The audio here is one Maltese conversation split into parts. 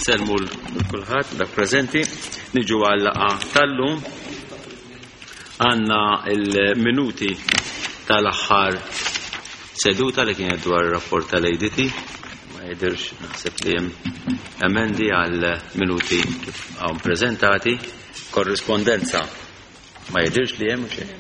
Nsellmu l kulħadd dak preżenti. Niġu għal laqgħa tal-lum. Għandna il-minuti tal-aħħar seduta li kienet dwar ir-rapport tal-ADT. Ma jidirx naħseb li hemm emendi għal minuti kif hawn preżentati. Korrispondenza ma jidirx li hemm xejn.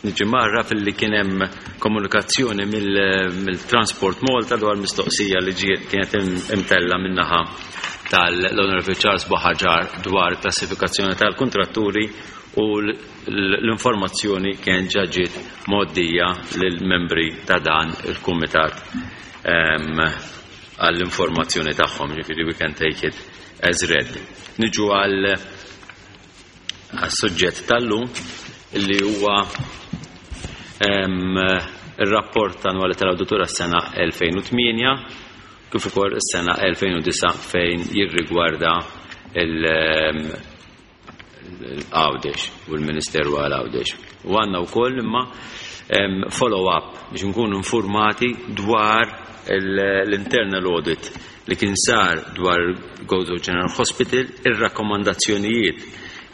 Niġi marra fil-li kien hemm komunikazzjoni mill-Transport Malta dwar mistoqsija li ġiet kienet imtella min-naħa tal-Honorable Charles Buhagiar dwar klassifikazzjoni tal-kontratturi u l-informazzjoni kien ġa ġiet mgħoddija lill-membri ta' dan il-kumitat għall-informazzjoni tagħhom, ġifieri we can take it as read. Niġu għal suġġett tal-lum li huwa ir-rapport annwali tal-awditur għas-sena 2008 kif ukoll is-sena 2009 fejn jirrigwarda l-Għawdex u l-Ministeru għal Għawdex. U għandna wkoll imma follow-up biex nkunu informati dwar l-internal audit li kien sar dwar Gozo General Hospital, ir-rakkomandazzjonijiet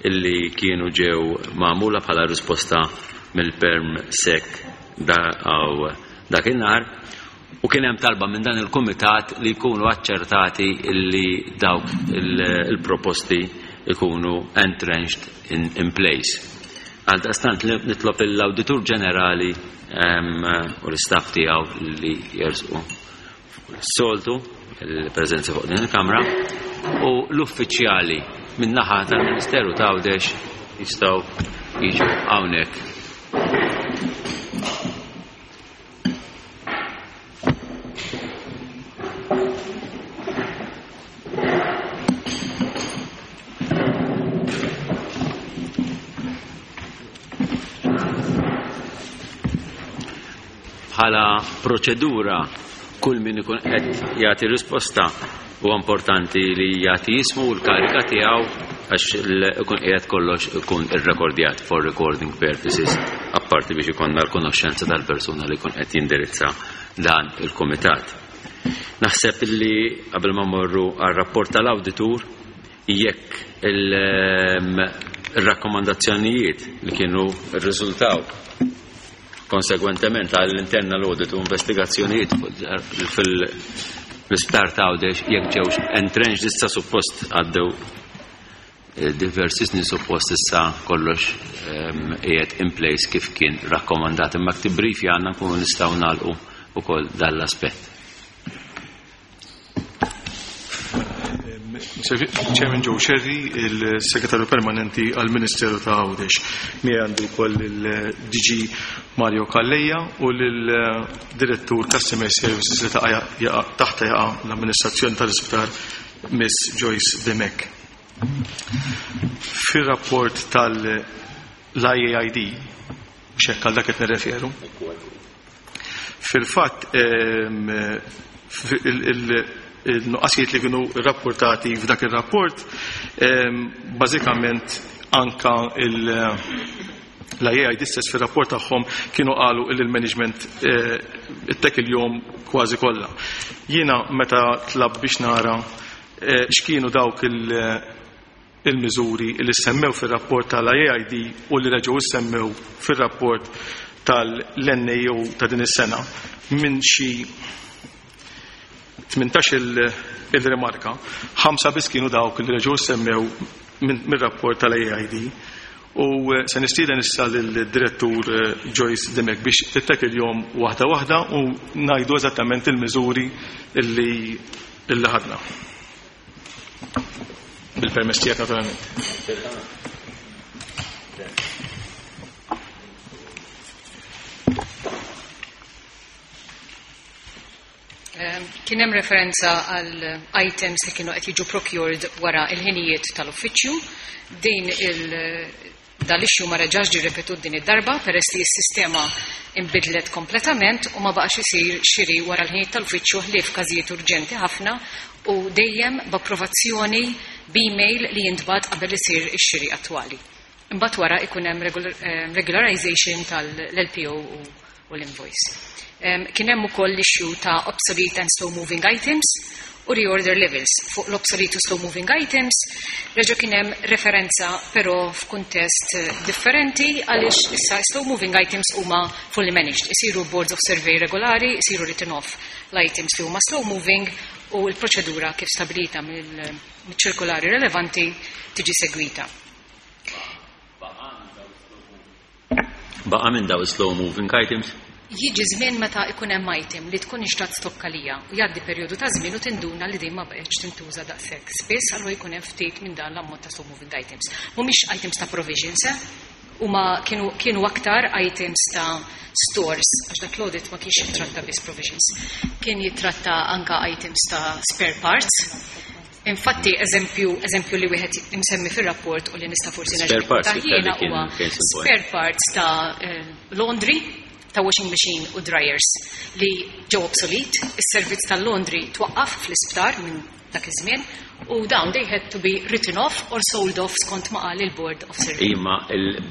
illi kienu ġew magħmula bħala risposta mill-Perm Sec dakinhar u kien hemm talba minn dan il-kumitat li jkunu aċċertati illi dawk il-proposti ikunu entrenched in, in place. Għaldaqstant nitlob l-Awditur Ġenerali u l-istaff tiegħu li jersqu soltu il-preżenza fuq din il-Kamra u l-uffiċjali min-naħa tal-Ministeru ta' Għawdex jistgħu jiġu hawnhekk. Bħala proċedura kull min ikun qed jagħti risposta huwa importanti li jagħti jismu u l-karika tiegħu għax ikun qiegħed kollox ikun irrekordjat for recording purposes apparti biex ikollna l-konoxxenza tal-persuna li jkun qed jindirizza dan il-kumitat. Naħseb li qabel ma mmorru għar-rapport tal-awditur jekk il-rakkomandazzjonijiet li kienu rriżultaw konsegwentement għall-internal audit u investigazzjonijiet fil-isptar ta' Għawdex jekk ġewx entrenched issa suppost għaddew diversi snin suppost issa kollox qiegħed in place kif kien rakkomandat imma brief għandna nkunu nistgħu nagħlqu ukoll dan l-aspett. Chairman Joe Scerri, il-Segretarju Permanenti għal-Ministeru ta' Għawdex. Miegħi għandu wkoll il-DG Mario Calleja u l-Direttur Customer Services li taqa' taħta jaqa' l-amministrazzjoni tal-isptar Miss Joyce Demek. Fir-rapport tal-IAID, xekk għal dak qed nirreferu, fil-fatt il-nuqqasijiet li kienu rapportati f'dak il-rapport, bażikament anka l-IAID stess fil-rapport tagħhom kienu qalu il management it il-jum kważi kollha. Jiena meta tlab biex nara x'kienu dawk il-miżuri li semmew fil-rapport tal-IAID u li reġgħu semmew fil-rapport tal-NAO ta' din is-sena minn xi 18 il-rimarka, ħamsa biss kienu dawk li reġgħu semmew mir-rapport tal-AID. U se nistieden issa lill-direttur Joyce Demek biex tittek il-jum waħda waħda u ngħidu eżattament il-miżuri illi illi ħadna. Bil-permess tiegħek naturalment. Kien hemm referenza għal items li kienu qed jiġu procured wara il-ħinijiet tal-uffiċċju. Din il dal-issue ma reġax ġie ripetut din id-darba peress li s-sistema imbidlet kompletament u ma baqax isir xiri wara l-ħinijiet tal-uffiċċju ħlief każijiet urġenti ħafna u dejjem b'approvazzjoni b'email li jintbagħat qabel isir ix-xiri attwali. Imbagħad wara ikun hemm regularization tal-LPO u l-invoice. Kien hemm ukoll l-issue ta' obsolete and slow moving items u reorder levels. Fuq l-obsolete u slow moving items reġa' kien hemm referenza, però f'kuntest differenti, għaliex issa slow moving items huma fully managed. Isiru boards of survey regolari, isiru written off l-items li huma slow moving u l-proċedura kif stabilita mill-ċirkolari relevanti tiġi segwita. Baqa minn daw slow moving items? Jiġi żmien meta ikun hemm item li tkun inxtrat stokka lija u jgħaddi perjodu ta' żmien u tinduna li din ma baqgħetx tintuża daqshekk. Spiss allura jkun hemm ftit minn dan l-ammont ta' slow moving items. Mhumiex items ta' provisions, eh? Huma kienu aktar items ta' stores, għax dak l-audit ma kienx jittratta biss provisions. Kien jittratta anka items ta' spare parts. Infatti, eżempju li wieħed imsemmi fir-rapport u li nista' forsi Spare parts nerġa' jiena kien huwa case in point. spare parts ta' laundry, ta' washing machine u dryers li ġew obsolete, is-servizz tal-laundry twaqqaf fl-isptar minn dak iż-żmien u dawn they had to be written off or sold off skont ma qal il-Board of Survey. Imma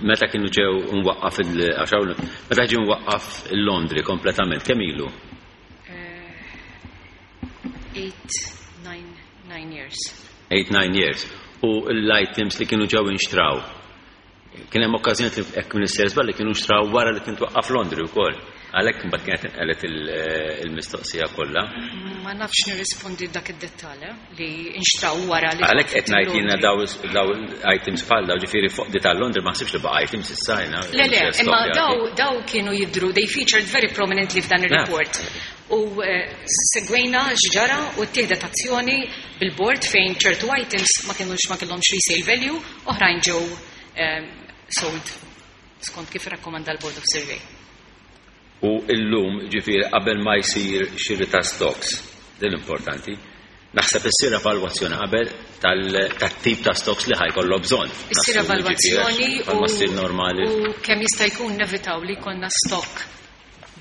meta kienu ġew mwaqqaf il-, għax hawn, meta ġew mwaqqaf il-laundry kompletament, kemm ilu? 8, 9 years. 8, 9 years. U l-items li kienu ġew inxtraw. Kien hemm okkażjoni li hekk Minister żball li kienu nxtraw wara li kien twaqqaf laundry wkoll. Għalhekk imbagħad kienet inqelet il-mistoqsija kollha. Ma nafx nirrispondi dak id-dettall, li nxtraw wara li Għalhekk qed ngħid jiena laundry. daw items bħal daw, ġifieri fuq di tal-laundry ma ħsibx li baqa' items issa jiena. Le, le, Mhux imma stockjati. daw kienu jidru, they featured very prominently f'dan ir-report. U segwejna x'ġara u ttieħdet azzjoni bil-board fejn ċertu items ma kienux, ma kellhomx resale value, oħrajn ġew sold skont kif rakkomanda l-Board of Survey. U illum, ġifieri, qabel ma jsir xiri ta' stocks, din importanti, naħseb issir evalwazzjoni qabel tat-tip ta' stocks li ħajkollu bżonn. Issir Nassumi, ġifieri, evalwazzjoni bħalma ssir normali. u kemm jista' jkun nevitaw li jkollna stock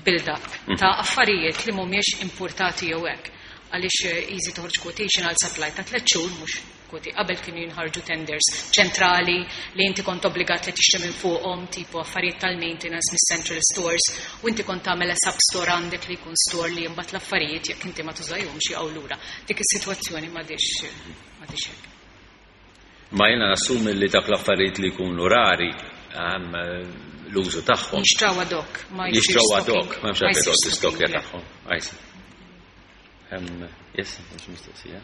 build-up ta' affarijiet li mhumiex importati jew hekk. Għaliex easy toħroġ quotation għal supply ta' 3 xhur, mhux kwoti. Qabel kienu jinħarġu tenders ċentrali li inti kont obbligat li tixtri minn fuqhom, tipo affarijiet tal-maintenance mis-central stores, u inti kont tagħmel sub store għandek li jkun store li mbagħad l-affarijiet jekk inti ma tużahomx jaqgħu lura. Dik is-sitwazzjoni m'għadix hekk. Ma jiena nassumi li dak l-affarijiet li jkunu rari, l-użu tagħhom. Jinxtraw ad hoc, ma jsirx Jinxtraw ad hoc, stocking. ma hemmx Ma għalfejn jsirx toqgħod tistokkja stocking, le. tagħhom. Għajsa. Yes, mhux mistoqsija.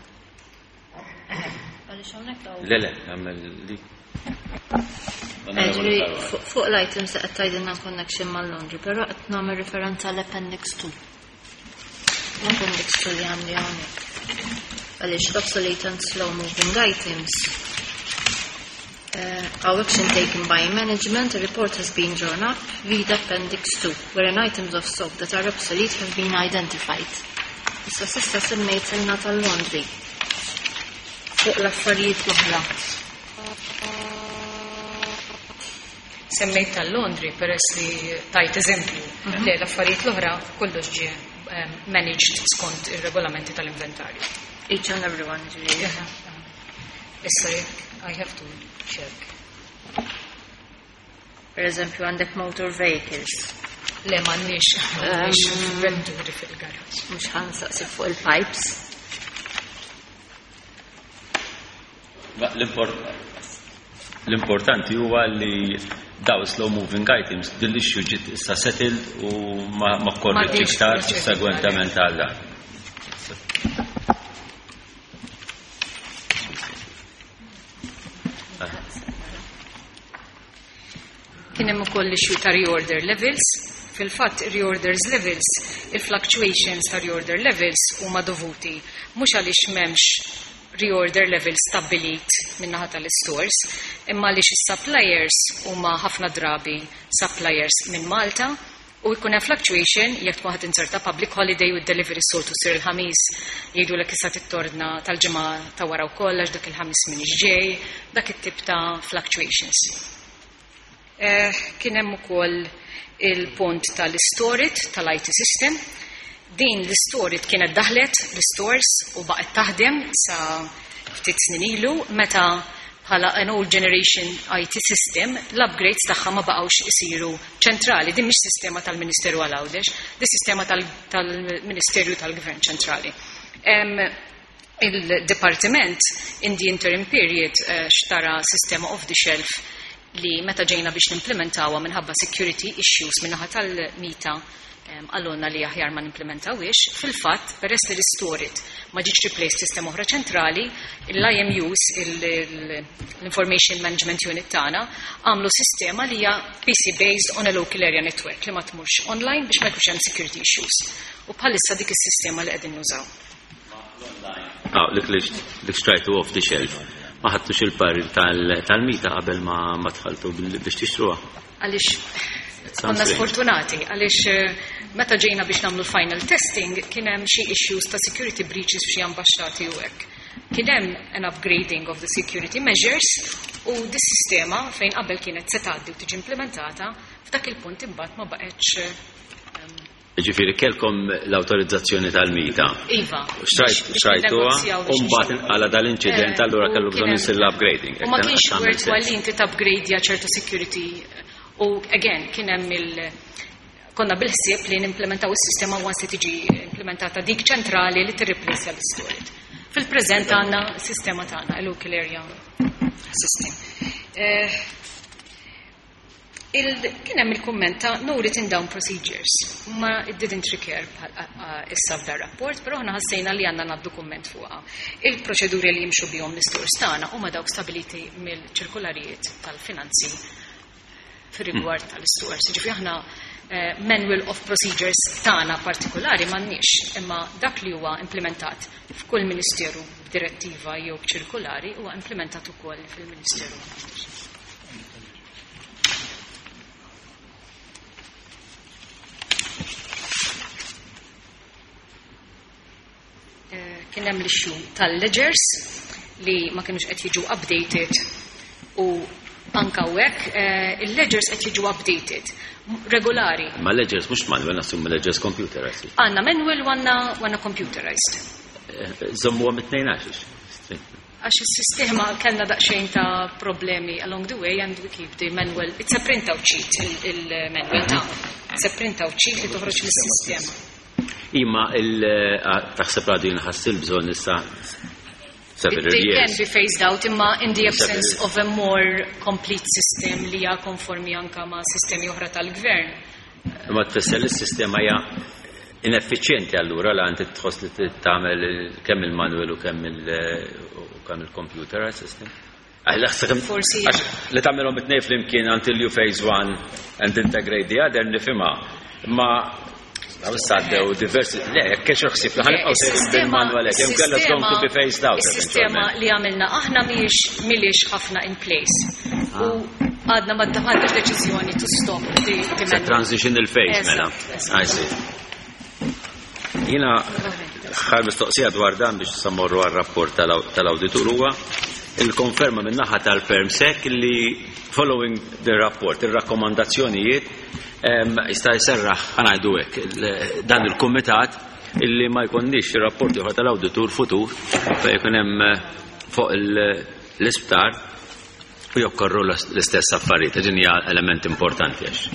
Għaliex hawnhekk hawn. Le, le, għamel li. Ġifieri, fuq l-items qed tgħidilna connection mal-laundry, però qed nagħmel referenza l-appendix 2. L-appendix 2 li għandi hawnhekk. Għaliex l-obsolete and slow moving items. Our action taken by management, a report has been drawn up via appendix 2, wherein items of stock that are obsolete have been identified. Issa sista semmejt ilna tal-laundry. Fuq l-affarijiet l-oħra. Semmejt tal-laundry peress li tajt eżempju. Le, l-affarijiet l-oħra kollox ġie managed skont ir-regolamenti tal-inventarju. Each and every one, ġifieri. Issa I have to check. Per eżempju, għandek motor vehicles. Le, m'għandniex vetturi fil-garaġġ. Mhux ħansaqsi fuq il-pipes. Ma l-importanti huwa li daw slow moving items din l-issue ġiet issa settled u ma korriġi Ma iktar ġietx segwentament għal dan. Kien hemm ukoll issue ta' reorder levels. Fil-fatt reorders levels, il-fluctuations ta' reorder levels huma dovuti mhux għaliex m'hemmx reorder levels stabbilit min-naħa tal-stores, imma għaliex is-suppliers huma ħafna drabi suppliers minn Malta u jkun hemm fluctuation jekk tkun ħadd inserta public holiday u d-delivery soltu ssir il-ħamis, jgħidulek issa tittorna tal-ġimgħa ta' wara wkoll għax dak il-ħamis m'iniex ġej, dak it-tip ta' fluctuations. Kien hemm ukoll il-punt tal-storage tal-IT system. Din l-storage kienet daħlet l-stores u baqgħet taħdem sa ftit snin ilu meta bħala an old generation IT system, l-upgrades tagħha ma baqgħux isiru ċentrali. Din mhix sistema tal-Ministeru għal Għawdex, din sistema tal-Ministeru tal-Gvern ċentrali. Il-Departiment in the interim period xtara sistema off the shelf li meta ġejna biex nimplementawha minħabba security issues minnaħa tal-MITA għalunna li aħjar ma nimplementawiex. Fil-fatt, peress li l-STORIT ma ġietx replaced sistema oħra ċentrali, l-IMUs, l-Information Management Unit tagħna, għamlu sistema li hija PC based on a local area network li ma tmurx online biex ma jkunx hemm security issues. U bħalissa dik is-sistema li qegħdin nużaw. Ah, dik li xtrajtu off the shelf. Ma ħadtux il-parir tal-MITA qabel ma dħaltu biex tixtruha. Għaliex konna sfortunati, għaliex meta ġejna biex nagħmlu final testing kien hemm xi issues ta' security breaches f'xi ambasċati u hekk. Kien hemm an upgrading of the security measures u dis-sistema fejn qabel kienet se tgħaddi u tiġi implementata f'dak il-punt imbagħad ma baqgħetx. Ġifieri kellkom l-awtorizzazzjoni tal-MITA. Iva. Xtrajtuha u mbagħad inqala dal-inċident, allura kellu bżonn isir l-upgrading. U ma kienx worthwhile li inti upgradeja ċertu security u again kien hemm il konna bil-ħsieb li nimplementaw is-sistema once li tiġi implementata dik ċentrali li tirreplace l-STORIT. Fil-preżent għandna sistema tagħna, local area system. Kien hemm il-kumment ta' no written down procedures, ma it didn't recur issa f'dar rapport, però aħna ħassejna li għandna ngħaddu kumment fuqha. Il-proċeduri li jimxu bihom l-istores tagħna huma dawk stabiliti mill-ċirkularijiet tal-finanzi fir-rigward tal-istores. Ġifieri aħna manual of procedures tagħna partikolari m'għandniex, imma dak li huwa implementat f'kull ministeru b'direttiva jew b'ċirkulari huwa implementat ukoll fil-Ministeru. Kien hemm l-issue tal-ledgers li ma kienux qed jiġu updated u anka hekk il-ledgers qed jiġu updated regolari. Ma ledgers mhux manual, nassum ledgers computerized. Għandna manual u għandna computerized. Żommu għam it-tnejn għax. Għax is-sistema kellna daqsxejn ta' problemi along the way and we keep the manual. It's a printout sheet il-manual ta'. It's a printout sheet li toħroġ mis-sistema. Imma taħseb għadu jinħass il-bżonn issa several They years. can be phased out imma in the absence Several of a more complete system li hija konformi anka ma' sistemi oħra tal-gvern. Imma tfisser li s-sistema hija ineffiċjenti allura la inti tħoss li tagħmel kemm il-manual u kemm il-computer system. Forsi Għax li tagħmelhom it-tnejn flimkien until you phase one and integrate the other nifhimha. Imma Għaw saddew diversi, le, jekk kienx ħsieb li ħanibqgħu sejrin bil-manual hekk, jew kellha going to be phased out Is-sistema eventualment. li għamilna aħna mhijiex ħafna in place. U għadna ma ħadniex deċiżjoni to stop the Sa manual. transitional phase, mela. Eżatt, I see. Jiena ħar mistoqsija dwar dan biex sammorru għar-rapport tal-awditur huwa il-konferma min-naħa tal-PermSec li following the rapport, ir-rakkomandazzjonijiet jista' jserraħ ħanajdu hekk dan il-kumitat illi ma jkunniex ir-rapporti oħra tal-awditur futur fejn jkun hemm fuq l-isptar u jokkorru l-istess affarijiet. Din hija element importanti għax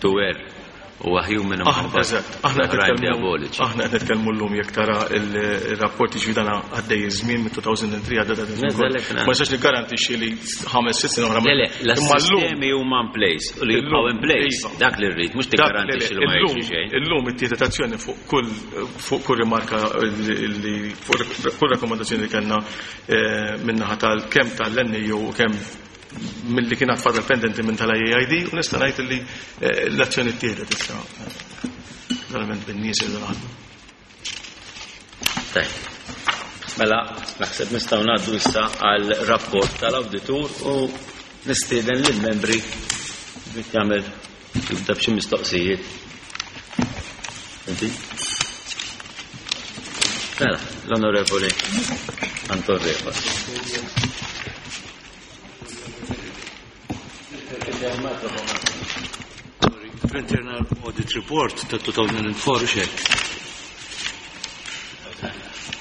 to where huwa human imħabba Eżatt, aħna qed oħrajn nitkellmu diaboliċi. Aħna qed nitkellmu llum jekk tara il-rapporti ġifieri dan għaddej iż-żmien minn 2003 għadda dan iż-żmien Neżel hekk, kollu. Ma nistax niggarantixxi li 5-6 snin oħra ma- Le, le, Imma llum l-sistemi huma in place u li jibqgħu in place. Iva. Dak li rrid, mhux Dak li tiggarantixxi li ma illum- jiġri xejn. Illum ittieħdet azzjoni fuq kull rimarka li fuq kull rakkomandazzjoni li kellna min-naħa tal-kemm tal-NAO u kemm mill-li kien fadal pendenti minn tal-IAID u nista' ngħid li l-azzjoni ttieħdet issa. Verament bin-nies li naħdmu. Tajb. Mela, naħseb nistgħu ngħaddu issa għal rapport tal-awditur u nistieden lill-membri biex jagħmel jibda b'xi mistoqsijiet. Inti? Mela, l-Onorevoli Anton Refalo. Internal Audit Report ta' 2004 xek.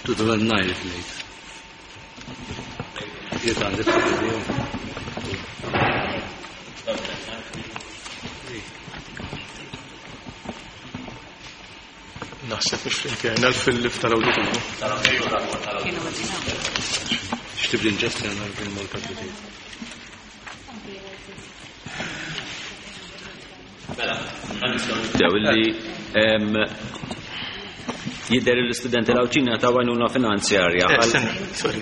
2009 if late. Jiet għandek Naħseb mhux fl-internal fil-lif tal-awditur. X'tibdi ġesti għandna fil-Malta Twitter. Mela, nibdew illi jidher l-istudenti l-Għawdxin ta' għajnuna finanzjarja. Eh, stenna, sorry.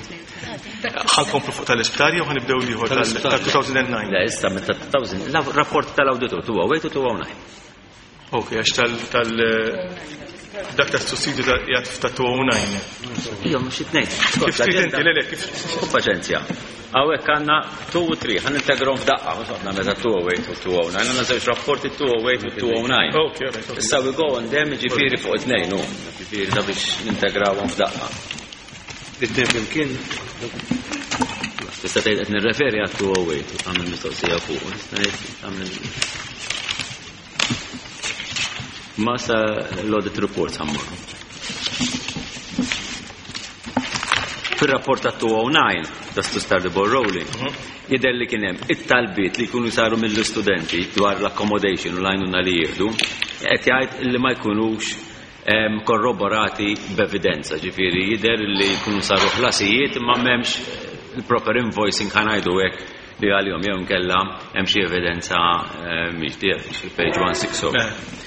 Ħa nkomplu fuq tal-isptar jew ħa nibdew l-ieħor tal-2009? Le, issa meta 2000, rapport tal-awditur 208 u 209. Ok, għax tal dak ta' sussidju ta' jgħat ta' 209. Ija, mhux it-tnejn. Kif trid inti, le, le, kif. U paċenzja. Hawnhekk għandna 2 u 3, ħa nintegrawhom f'daqqa, mhux għadna meta 208 u 209, għandna żewġ rapporti 208 u 209. Ok, all right, ok. Issa we go on them, ġifieri fuq it-tnejn, u ġifieri da biex nintegrawhom f'daqqa. It-tnejn flimkien Tista' tgħid qed nirreferi għat 208 u tagħmel mistoqsija fuq, tista' tgħid tagħmel Ma sa l-audit reports ħa mmorru. Fil-rapport ta' 209, just to start the ball rolling, jidher li kien hemm it-talbiet li jkunu saru mill-istudenti dwar l-accommodation u l-għajnuna li jieħdu, qed jgħid li ma jkunux korroborati b'evidenza, ġifieri jidher li jkunu saru ħlasijiet imma m'hemmx il-proper invoicing, ħa ngħidu hekk, li għalihom jew inkella hemm xi evidenza mhix fil-page 160.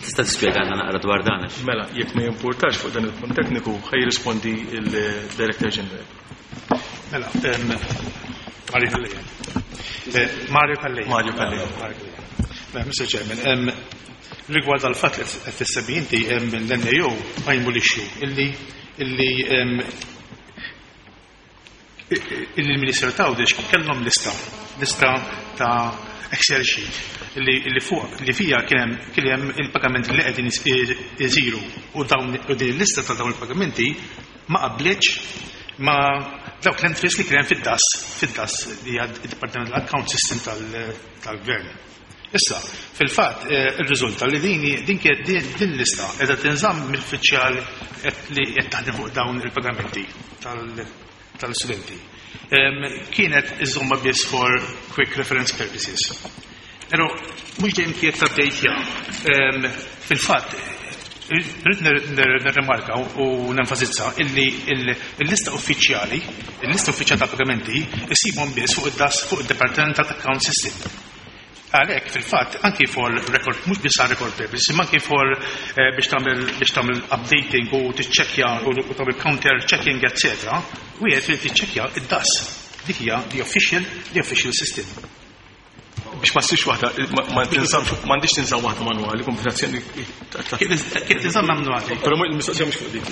Tista' tispjegana naqra dwar dan? Mela, jekk ma jimpurtax fuq dan il-punt tekniku, ħa jirrispondi il-Director General. Mela, Mario Calleja. Mario Calleja. Mario Calleja. Mario Calleja. Mela, Mr. Chairman, rigward għal-fatt li qed tissemmi inti l-NAO qajmu l-issue illi l-Ministeru ta' Għawdex kellhom lista ta' Excel sheet illi fuq li fija kien hemm il-pagamenti li qegħdin isiru u dawn u din il-lista ta' dawn il-pagamenti ma qablitx ma dawk l-entries li kien hemm fid-DAS li hija d-Department Account System tal-Gvern. Issa, fil-fatt, ir-riżulta li din lista qiegħda tinżamm mill-uffiċjal li qed taħdem fuq dawn il-pagamenti tal-studenti. Kienet iżomma biss for quick reference purposes. Pero mhux dejjem kienet update. Fil-fatt, rrid nirrimarka u nenfasizza illi il-lista uffiċjali, il-lista uffiċjali ta' pagamenti isibhom biss fuq id-DAS, fuq id-Departmental Account System. Għalhekk fil-fatt anki for record, mhux biss għal record purposes, imma anki for biex tagħmel updating u tiċċekkja u tagħmel counter checking, etc. Wieħed irid tiċċekkja id-DAS. Dik hija the official system. Biex ma ssirx waħda, ma tinżammx, m'għandix tinżamm waħda manwali, komputazzjoni. Kif tinżamm manwali? Però il-mistoqsija mhux fuq dik.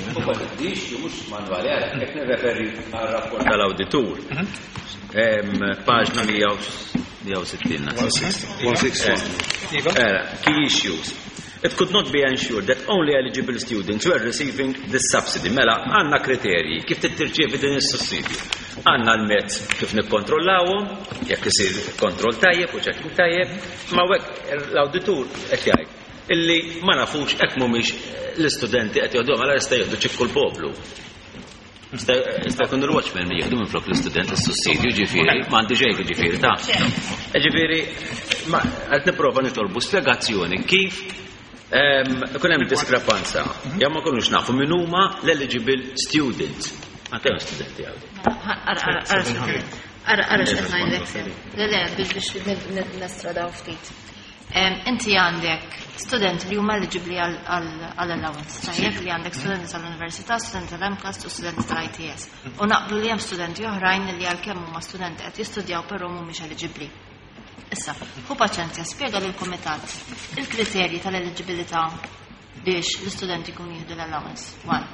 Dix mhux manwali, qed nirreferi għar-rapport tal-awditur. Paġna 160. 161. Era, key issues. It could not be ensured that only eligible students were receiving this subsidy. Mela, għandna kriterji kif tirċievi din is-sussidju. Għandna l-mezz kif nikkontrollawhom, jekk isir kontroll tajjeb u checking tajjeb, ma hekk l-awditur qed jgħid illi ma nafux hekk mhumiex l-istudenti qed jieħdu, mela jista' jieħdu ċikku l-poplu. Jista' jkun il-watchman mi jieħdu minflok l-istudent is-sussidju, ġifieri, m'għandi xejn ġifieri ta'. Ġifieri, ma qed nipprova nitolbu spjegazzjoni kif ikun hemm diskrepanza. Jew ma nkunux nafu min huma l-eligible students. Għandhom studenti għawdi. Ara, ara x'qed ngħidlek. Le, le, biex nestradaw ftit. Inti għandek studenti li huma eligibli għal allowance. Tajjeb li għandek studenti tal-università, studenti tal-MCAST u studenti tal-ITS. U naqblu li hemm studenti oħrajn li għalkemm huma studenti qed jistudjaw però mhumiex eligibbli. Issa, ħu paċenzja, spjega lill kumitat il-kriterji tal-eligibilità biex l-istudenti jkunu jieħdu l-allowance. One.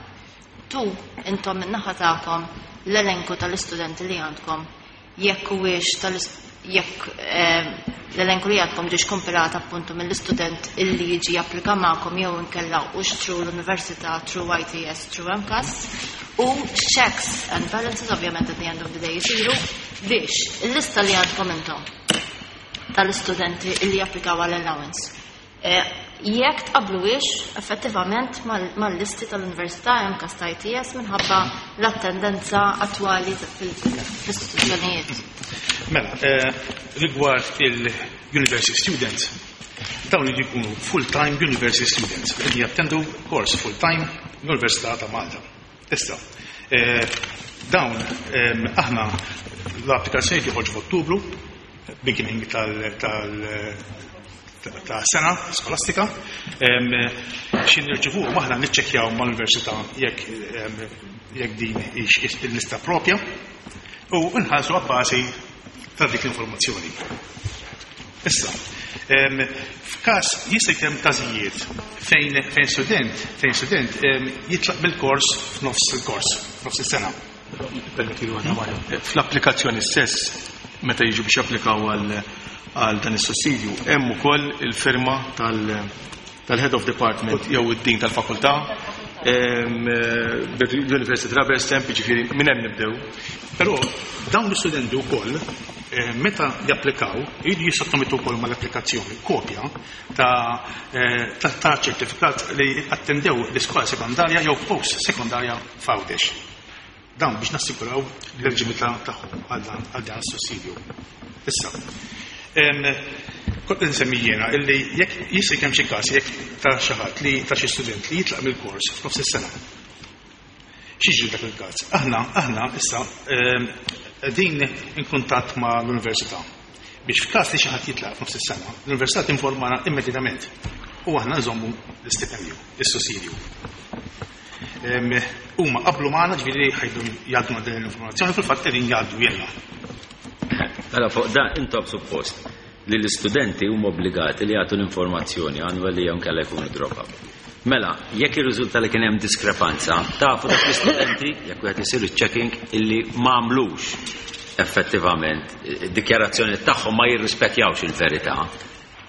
Two, intom min-naħa tagħkom l-elenku tal-istudenti li għandkom jekk huwiex tal jekk l-elenku li għandkom ġiex kompilat appuntu mill-istudent illi jiġi japplika magħkom jew inkella hux through l-università, through ITS, through MCAST u checks and balances ovvjament at the end of the day jisiru biex il-lista li għandkom intom tal-istudenti illi japplikaw għall-allowance. Jekk tqabbluhiex effettivament mal-listi tal-Università hemm każ ta' ITS minħabba l-attendenza attwali fl-istituzzjonijiet. Mela, rigward il-university students, dawn li jkunu full-time university students, li jattendu course full-time l-Università ta' Malta. Issa, dawn aħna l-applikazzjoni joħorġu f'Ottubru, beginning ta' sena skolastika, xi nirċivu aħna niċċekkjaw mal-università jekk din il-lista propja u nħallsu abbażi ta' dik l-informazzjoni. Issa, f'każ jista' jkun hemm każijiet fejn student jitlaq mill-kors f'nofs il-kors, f'nofs is-sena. Fl-applikazzjoni stess, meta jiġu biex japplikaw għal dan is-sussidju, hemm ukoll il-firma tal-head of department jew id-dean tal-fakultà, bil-University Rubber Stamp, ġifieri minn hemm nibdew. Però dawn l-istudenti wkoll meta japplikaw, jridu jissottomettu wkoll mal-applikazzjoni kopja ta' ċertifikat li attendew l-iskola sekondarja jew post sekondarja f'Għawdex. Dawn biex nassiguraw l-eliġibilità tagħhom għal dan is-sussidju. Issa, kont nsemmi jiena illi jekk jista' jkun xi każ jekk ta' xi ħadd li ta' xi student li jitlaq mill-kors f'nofs is-sena. X'jiġri dak il-każ? Aħna issa din in kuntatt ma' l-università biex f'każ li xi ħadd jitlaq f'nofs is-sena, l-università tinformana immedjatament u aħna nżommu l-istipendju, is-sussidju. Huma qablu magħna ġifieri ħajdu jgħaddu din l-informazzjoni, fil-fatt qegħdin jgħaddu jenna. Mela fuq dan intom suppost li l-istudenti huma obbligati li jagħtu l-informazzjoni annwali jew inkella jkunu drop out. Mela, jekk irriżulta li kien hemm diskrepanza, tafu dak l-istudenti jekk wieħed isir iċ-checking illi ma għamlux effettivament id-dikjarazzjoni tagħhom ma jirrispekjawx il-verità.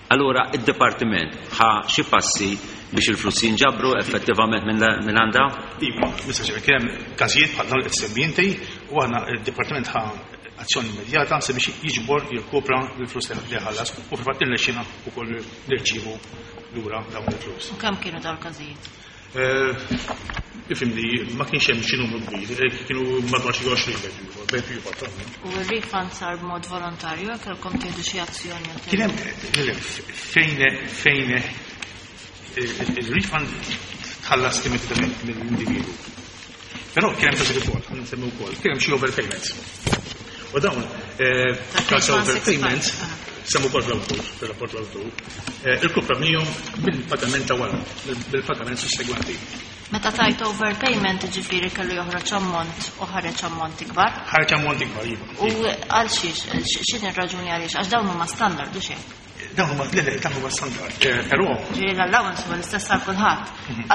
Allura id-dipartiment ħa xi passi biex il-flus jinġabru effettivament minn għandha? Iva, Mr. Chair, kien hemm każijiet bħal dawn li qed semmi inti u aħna id-dipartiment ħa azzjoni immedjata sabiex jiġbor jirkupra l-flus li ħallas u fil-fatt irnexxina wkoll nirċievu lura dawn il-flus. U kemm kienu dawn il-każijiet? Ifhimni, ma kienx hemm xi numru kbir, kienu madwar xi 20 bejn ieħor. U r-refund sar b'mod volontarju jekk kellkom tieħdu xi azzjoni? Kien hemm fejn il-refund tħallas immedjatament mill-individu. Però kien hemm każijiet ukoll, ħa nsemmi wkoll, kien hemm xi overpayments. U dawn każ overpayments semmu wkoll fl-awtur, fil-rapport l-awtur, irkuprajnihom bil-pagament ta' wara, bil-pagament sussegwenti. Meta tajt overpayment ġifieri kellu joħroġ ammont u ħareġ ammont ikbar? Ħareġ ammont ikbar, iva. U għal xiex, x'inhi r-raġuni għaliex? Għax dawn huma standard u xejn. Dawn huma le, dawn huma standard. Però Ġifieri l-allowance huwa l-istess għal kulħadd.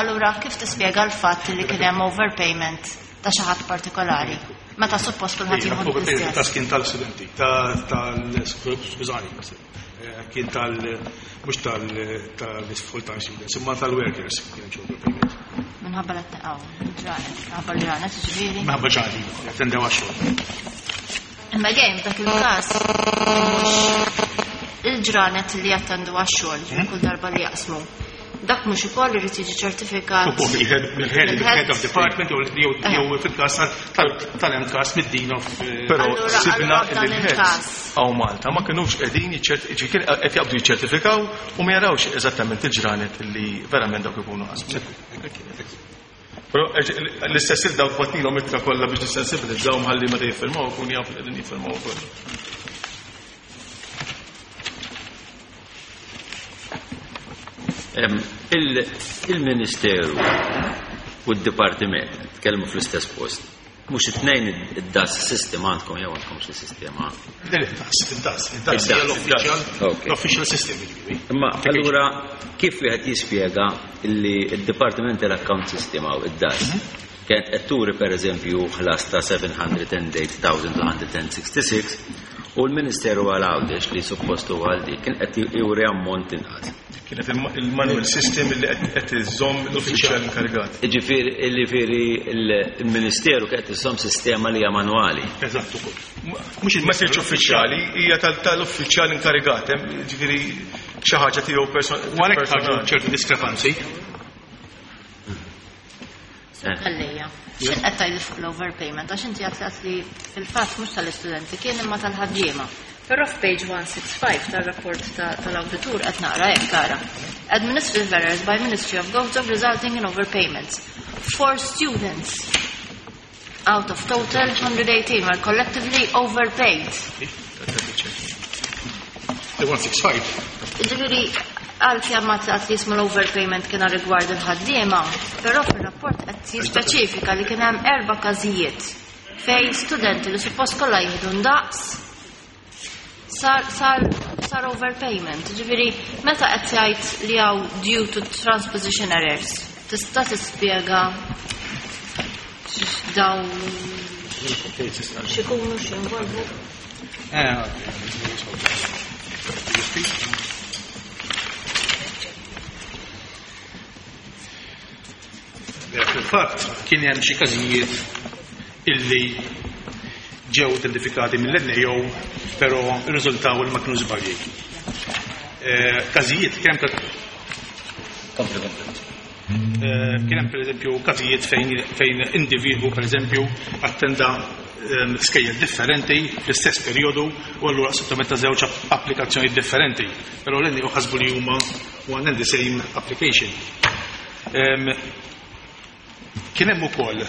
Allura kif tispjega l-fatt li kien hemm overpayment ta' xi ħadd partikolari? Meta suppost kulħadd jieħu l-istess. Ta' kien tal-studenti, tal skużani, kien tal mhux tal-full-time students, imma tal-workers kien hemm overpayment. Minħabba l-għaw, ġranet, minħabba l-ġranet, ġifieri. Minħabba ġranet, jattendew għax-xogħol. Imma għejm dak il-każ mhux il-ġranet li jattendu għax-xogħol, kull darba li jaqsmu. Dak mhux ukoll irid jiġi ċertifikat. Mill-head of department jew fil-każ tal-MCAST mid-dean of. Però sibna il-heads hawn Malta ma kinux qegħdin qed jaqbdu jiċċertifikaw u ma jarawx eżattament il-ġranet li verament dawk ikunu qasmu. Però l-istess il dawk bgħatnilhom ittra kollha biex nissensibilizzaw ħalli meta jiffirmaw ikun jafu li qegħdin jiffirmaw ukoll. Il-Ministeru u d-Dipartiment tkellmu fl-istess post. Mhux it-tnejn id-DAS system għandkom jew għandkom xi sistema? Il-DAS, il-DAS, il-DAS l-official system. Imma allura kif wieħed jispjega li d-Dipartiment tal-Account System għaw id-DAS kienet qed turi pereżempju ħlas ta' 708,266 u l-Ministeru għal Għawdex li suppost huwa għal dik kien qed juri ammont inqas. Kienet il-manual system li qed iżomm l-uffiċjal inkarigat. Ġifieri il-Ministeru qed iżomm sistema li hija manwali. Eżatt ukoll. Mhux ma sirx uffiċjali, hija tal-uffiċjal inkarigat, ġifieri. Xi ħaġa tiegħu U għalhekk ħarġu ċertu diskrepanzi. Għallejja. X'in qed tgħidli fuq l-overpayment għax inti għedt li fil-fatt mhux tal-istudenti kien imma tal-ħaddiema. Però f'page 165 tar-rapport tal-awditur qed naqra hekk tara. Administrative errors by Ministry of Gozo resulting in overpayments. For students out of total 118 were collectively overpaid. The 165. Ġifieri, għalkemm ma taqt li jismu l-overpayment kien rigward il-ħaddiema, però fil-rapport qed jispeċifika li kien hemm erba' każijiet fejn studenti li suppost kollha jieħdu ndaqs sar sar sar overpayment. Ġifieri, meta qed jgħid li hawn due to transposition errors, tista' tispjega daw x'ikunu x'involvu? Fil-fatt kien hemm xi każijiet illi ġew identifikati mill-NAO però rriżultaw li ma kienu żbalji. Każijiet kien hemm Kompli, kompli. Kien hemm pereżempju każijiet fejn individwu pereżempju attenda skejjel differenti fl-istess perjodu u allura sottometta żewġ applikazzjoni differenti. Però l-NAO ħasbu li huma one and the same application. Kien hemm ukoll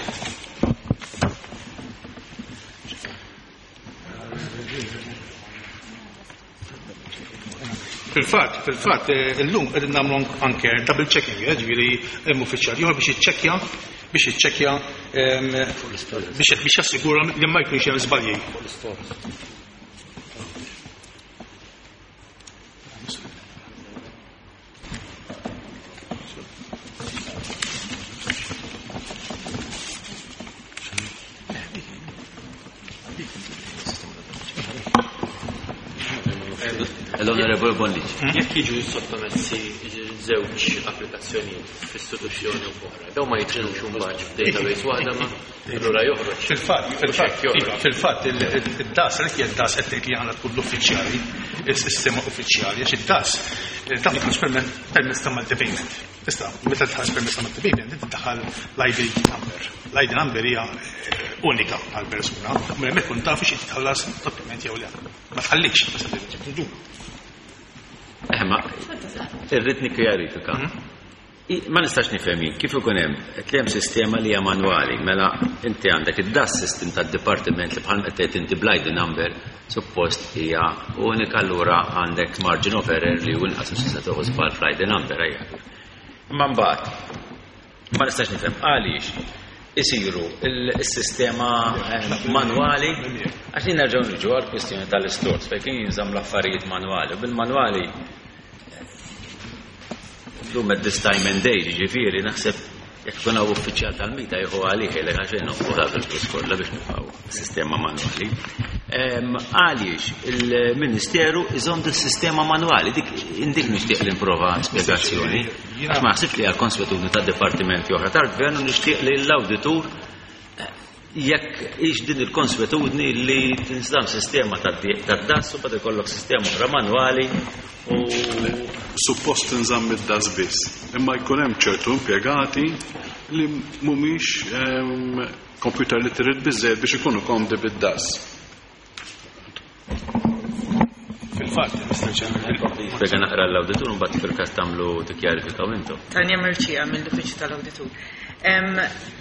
Fil-fatt, illum qegħdin nagħmlu anke double checking, ġifieri hemm uffiċjal ieħor biex jiċċekkja biex jassigura li ma jkunx hemm żbalji. L-Onorevole Bonnici. Jekk jiġu sottomessi żewġ applikazzjonijiet f'istituzzjoni u oħra, daw ma jidħlux imbagħad f'database waħda ma allura joħroġ. Fil-fatt, iva, fil-fatt id-DAS, għalhekk hija d-DAS qed tgħid li għandha tkun l-uffiċjali, is-sistema uffiċjali, għax id-DAS taf tħares permezz ta' multi-payment. Tista' meta tħares permezz ta' multi-payment, inti tdaħħal l-ID number. L-ID number hija unika għal persuna, u hemmhekk kun taf xi titħallas doppjament jew le. Ma tħallikx, ma tħallikx. Ma irrid nikkjarifika. Ma nistax nifhem jien kif ikun hemm qed li hemm sistema li hija manwali, mela inti għandek id-DAS system tad-dipartiment li bħal qed tgħid inti bl-ID number suppost hija unika, allura għandek margin of error li hu inqas għax tista' tieħu żball fl-ID number ejja. Imma mbagħad ma nistax nifhem għaliex isiru il-sistema manwali, għax li nerġgħu niġu għal kwistjoni tal-istores fejn kien jinżamm l-affarijiet manwali u bil-manwali llum at this time and age, ġifieri naħseb jekk ikun hawn uffiċjal tal-MITA jieħu għalih jgħidlek għax nonfqu dak il-flus kollha biex nibqgħu sistema manwali. Għaliex il-Ministeru iżomm dis-sistema manwali, dik indik nixtieq li nprova spjegazzjoni. Għax ma naħsibx li hija konswetudni ta' dipartimenti oħra tal-gvern u nixtieq li l-awditur jekk hix din il-konswetudni li tinżamm sistema tad-DAS u bad ikollok sistema oħra manwali u suppost tinżamm id-DAS biss, imma jkun hemm ċertu impjegati li mhumiex computer literate biżżejjed biex ikunu komdi bid-DAS. Fil-fatt, Mr. Chairman, Spjega naqra l-awditur u mbagħad fil-każ tagħmlu tikkjarifikaw intom. Tanja Merċija mill-Uffiċċju tal-Awditur.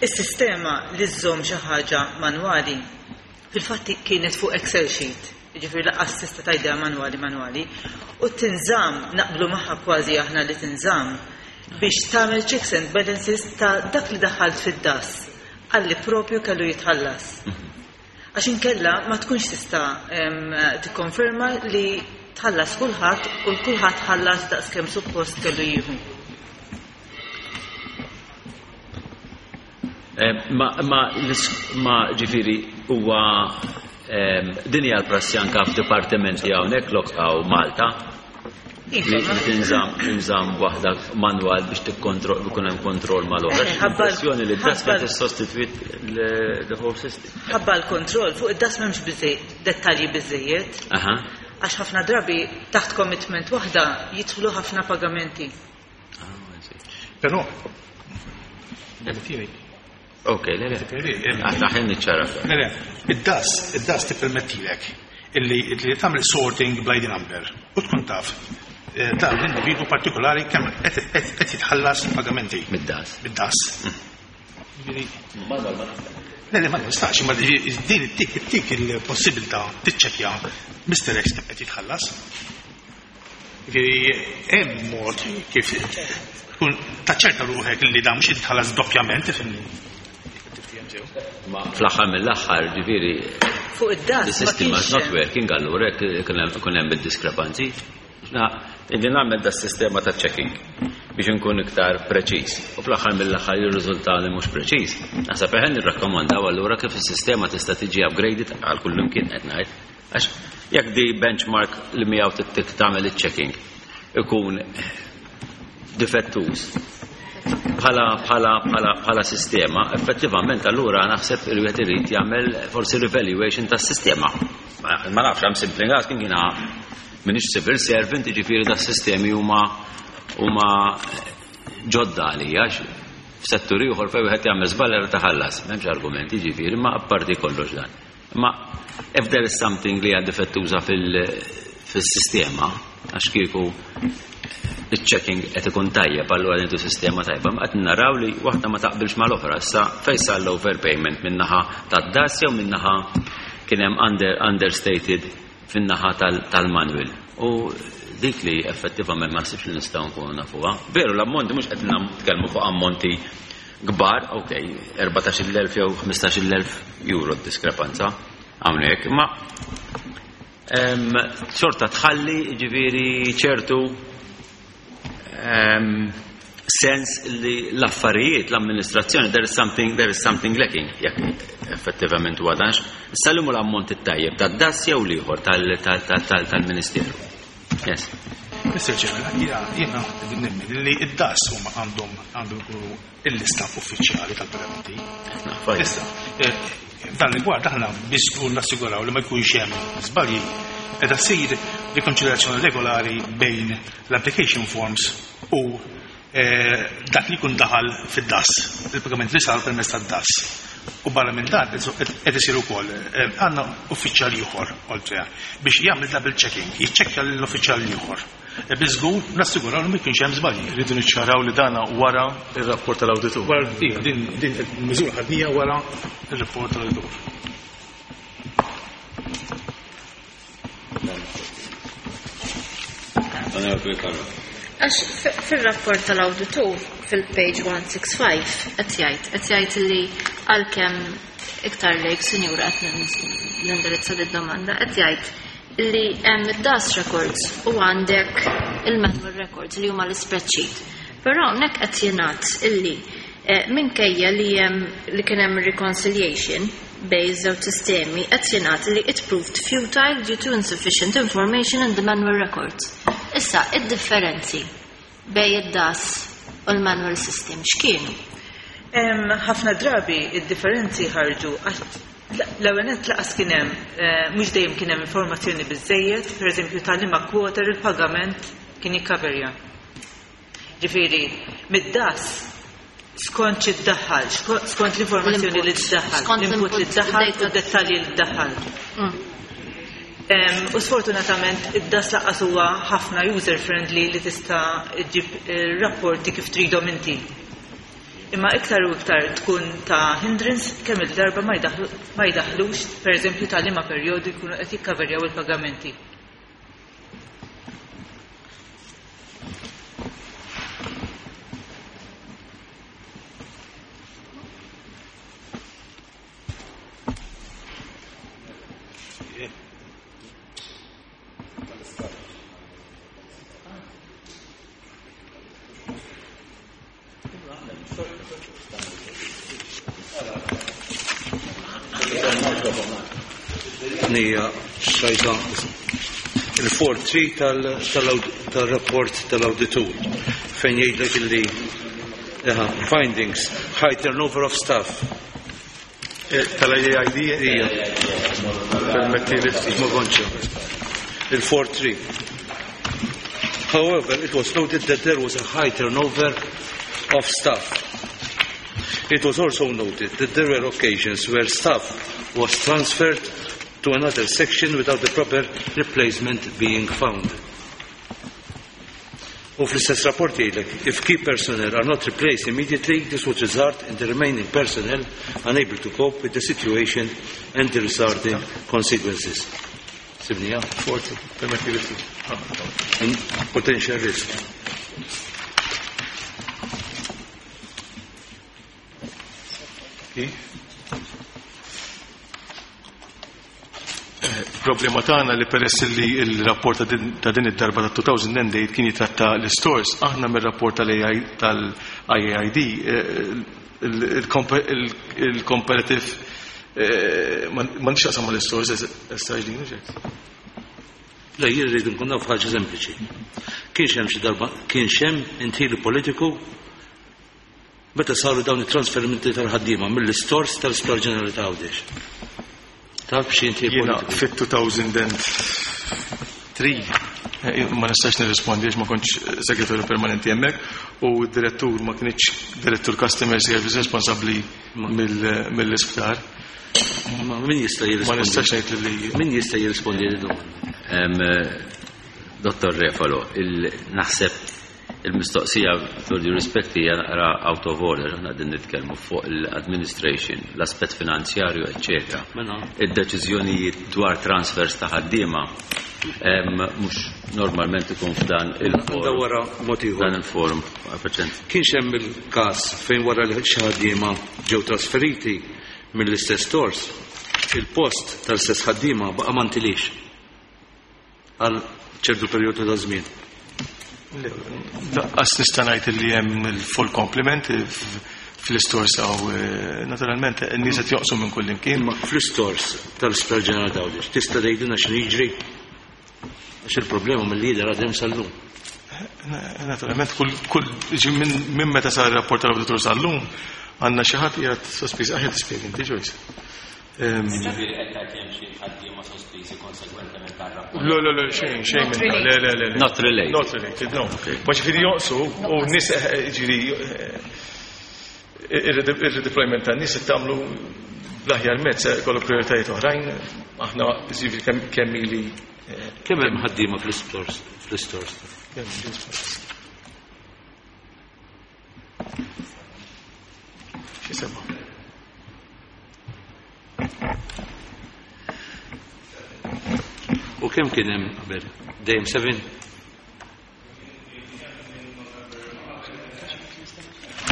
Is-sistema li żżomm xi ħaġa manwali fil-fatt kienet fuq Excel sheet, jiġifieri lanqas tista' tgħidha manwali manwali, u tinżamm naqblu magħha kważi aħna li tinżamm biex tagħmel checks and balances ta' dak li daħalt fid-DAS għalli propju kellu jitħallas. Għax inkella ma tkunx tista' tikkonferma li tħallas kulħadd u kulħadd ħallas daqskemm suppost kellu jieħu. Ma ġifieri huwa din hija l-prassi anke f'dipartimenti hawnhekk lokqaw Malta li tinżamm waħda manwal biex tikkontroll ikun hemm kontroll mal-oħra. Impressjoni li d-DAS qed tissostitwit the whole system. Ħabba l-kontroll fuq id-DAS m'hemmx biżejjed dettalji biżejjed. Għax ħafna drabi taħt commitment waħda jidħlu ħafna pagamenti. Però, Ok, le, le. Aħna ħin niċċara. Le, le, id-DAS, id-DAS tippermettilek illi li tagħmel sorting by the number u tkun taf dan l-individu partikolari kemm qed jitħallas pagamenti. Mid-DAS. Mid-DAS. Le, le, ma nistax, imma din ittik ittik il-possibilità tiċċekkja Mr. X kemm qed jitħallas. Ġifieri hemm mod kif tkun taċċerta ruħek li dan mhux qed jitħallas doppjament, tifhimni. Ma fl-aħħar mill-aħħar, ġifieri Fuq id-DAS the ma system is kienx not working, allura jekk ikun hemm id-diskrepanzi. Na, Inni nagħmel da sistema ta' checking biex nkun iktar preċiż. U fl-aħħar mill-aħħar jirriżulta li mhux preċiż. Naħseb eħen nirrakkomandaw allura kif is-sistema tista' tiġi upgraded għal kullimkien qed ngħid. Għax jekk di benchmark li miegħu tittik tagħmel iċ-checking ikun difettuż bħala bħala bħala bħala sistema, effettivament allura naħseb il wieħed irid jagħmel forsi revaluation tas-sistema. Ma nafx, I'm simply asking jiena m'iniex civil servant, jiġifieri das-sistemi huma huma ġodda għalija f'settur ieħor fejn wieħed jagħmel żball jara taħallas, m'hemmx argumenti jiġifieri, ma apparti kollox dan. Ma if there is something li hija difettuża fil-sistema, għax kieku il-checking qed ikun tajjeb, allura għandu sistema tajba, ma qed naraw li waħda ma taqbilx mal-oħra. Issa fejn sar l-overpayment min-naħa tad-DAS jew min-naħa kien hemm understated fin-naħa tal-manual. U dik li effettivament ma naħsibx li nistgħu nkunu nafuha. Veru l-ammonti mhux qed nitkellmu fuq ammonti kbar, ok, 14,000 jew 15,000 euro diskrepanza hawnhekk, imma xorta tħalli ġifieri ċertu sens li l-affarijiet, l-amministrazzjoni, there is something lacking, jekk effettivament huwa danx. Issa li l-ammont it-tajjeb tad-DAS jew l-ieħor tal-Ministeru. Yes. Mr. Chairman, jiena nemmen li id-DAS huma għandhom għandhom ikunu il-lista uffiċjali tal-pagamenti. Issa, dan rigward aħna biex żgur nassiguraw li ma jkunx hemm żbalji qed ssir rikonċiljazzjoni regolari bejn l-application forms u dak li jkun daħal fid-DAS, il-pagament li sar permezz tad-DAS. U barra minn dan qed isir ukoll għandna uffiċjal ieħor oltre biex jagħmel double checking, jiċċekkja lill-uffiċjal ieħor. Biex żgur nassiguraw li ma jkunx hemm żbalji. Rridu niċċaraw li dana wara ir-rapport tal-awditur. Wara, iva, din il-miżura ħadnija wara ir-rapport tal-awditur. Għax fil-rapport tal-awditur fil-page 165 qed jgħid li għalkemm iktar lejk sinjura qed nindirizza di domanda qed jgħid li hemm id-DAS records u għandek il-manual records li huma l-spreadsheet. Però hawnhekk qed jingħad illi minkejja li hemm li kien hemm reconciliation bejn iż-żewġ sistemi qed jingħad li it proved futile due to insufficient information in the manual records. Issa, id-differenzi bejn id-DAS u l-manual system x'kienu? Ħafna drabi id-differenzi ħarġu l-ewwel nett laqas kien hemm, mhux dejjem kien hemm informazzjoni biżejjed, pereżempju tal-liema quarter il-pagament kien jikkaverja. Ġifieri, mid-DAS skont xi ddaħħal, skont l-informazzjoni li ddaħħal, Skont l-input li l-input, ddaħħal u id-data. d-dettalji li ddaħħal. U sfortunatament id-DAS laqas huwa ħafna user friendly li tista' ġġib rapporti kif tridhom inti. Imma iktar u iktar tkun ta' hindrance kemm il-darba ma jdaħħlux, pereżempju ta' liema perjodu jkunu qed jikkaverjaw il-pagamenti. Nija xajta il-4-3 tal-rapport tal-auditur fejn jgħidlek illi findings, high turnover of staff. Tal-IAID? Ija. Permetti li ftit. Ma konċa. Il-4-3. However, it was noted that there was a high turnover of staff. It was also noted that there were occasions where staff was transferred to another section without the proper replacement being found. U fl-istess rapport jgħidlek, if key personnel are not replaced immediately, this would result in the remaining personnel unable to cope with the situation and the resulting consequences. Sibnija? Forti, permetti li ftit. And potential risk. Problema tagħna li peress li il-rapport ta' din id-darba ta' 2008 kien jitratta l-stores, aħna mir-rapport tal-IAID il-comparative ma nix jaqsam mal-stores issa ġdin, ġek. Le, jien rridu nkun naf ħaġa sempliċi. Kienx hemm xi darba, kienx hemm indħil politiku meta saru dawn it-trasferimenti tal-ħaddiema mill-istores tal-Isptar Ġenerali ta' Għawdex. Taf xi inti Jiena politiku? fit-2003 ma nistax nirrispondi għax ma kontx segretarju permanenti hemmhekk u d-direttur ma kienx direttur customer service responsabbli mill-isptar. Ma min jista' Ma jirrispondi? nistax ngħid li Min jista' jirrispondi li domanda? Dottor Refalo, naħseb il-mistoqsija with due respect hija naqra out of order, aħna qegħdin nitkellmu fuq l-administration, l-aspett finanzjarju, eċċetera. Mela. Id-deċiżjonijiet dwar transfers ta' ħaddiema mhux normalment ikun f'dan il-forum. Għandha wara mod ieħor. Dan il-forum, perċent. Kienx hemm il-każ fejn wara li xi ħaddiema ġew trasferiti mill-istess stores, il-post tal-istess ħaddiema baqa' ma ntilix għal ċertu perjodu ta' żmien. Lanqas nista' ngħid li hemm il-full complement fl-istores hawn, naturalment in-nies qed joqsu minn kull imkien. Imma fl-istores tal-Isptar Ġenerali ta' Għawdex tista' tgħidilna x'inhu jiġri? Għax il-problema mill-lider għadhem sal-lum. Naturalment kull ġi minn meta sar ir-rapport tal-awditur sal-lum għandna xi ħadd qiegħed sospiż, aħjar tispjega inti Joyce. Ġifieri qed tgħid li hemm xi ħaddiema sospiżi konsegwentement tar-rapport. Le, le, le, xejn, xejn minn dan. Le, le, le, le. Not related. Not related, no. Ma ġifieri joqsu u nies, ġifieri, ir-redeployment tan-nies qed tagħmlu bl-aħjar mezz, kollu prioritajiet oħrajn, aħna ġifieri kemm ili, Kemm hemm ħaddiema fl-istores? Fl-istores? Kemm fl-istores? Xi sema'? U kemm kien hemm qabel? Dejjem 7?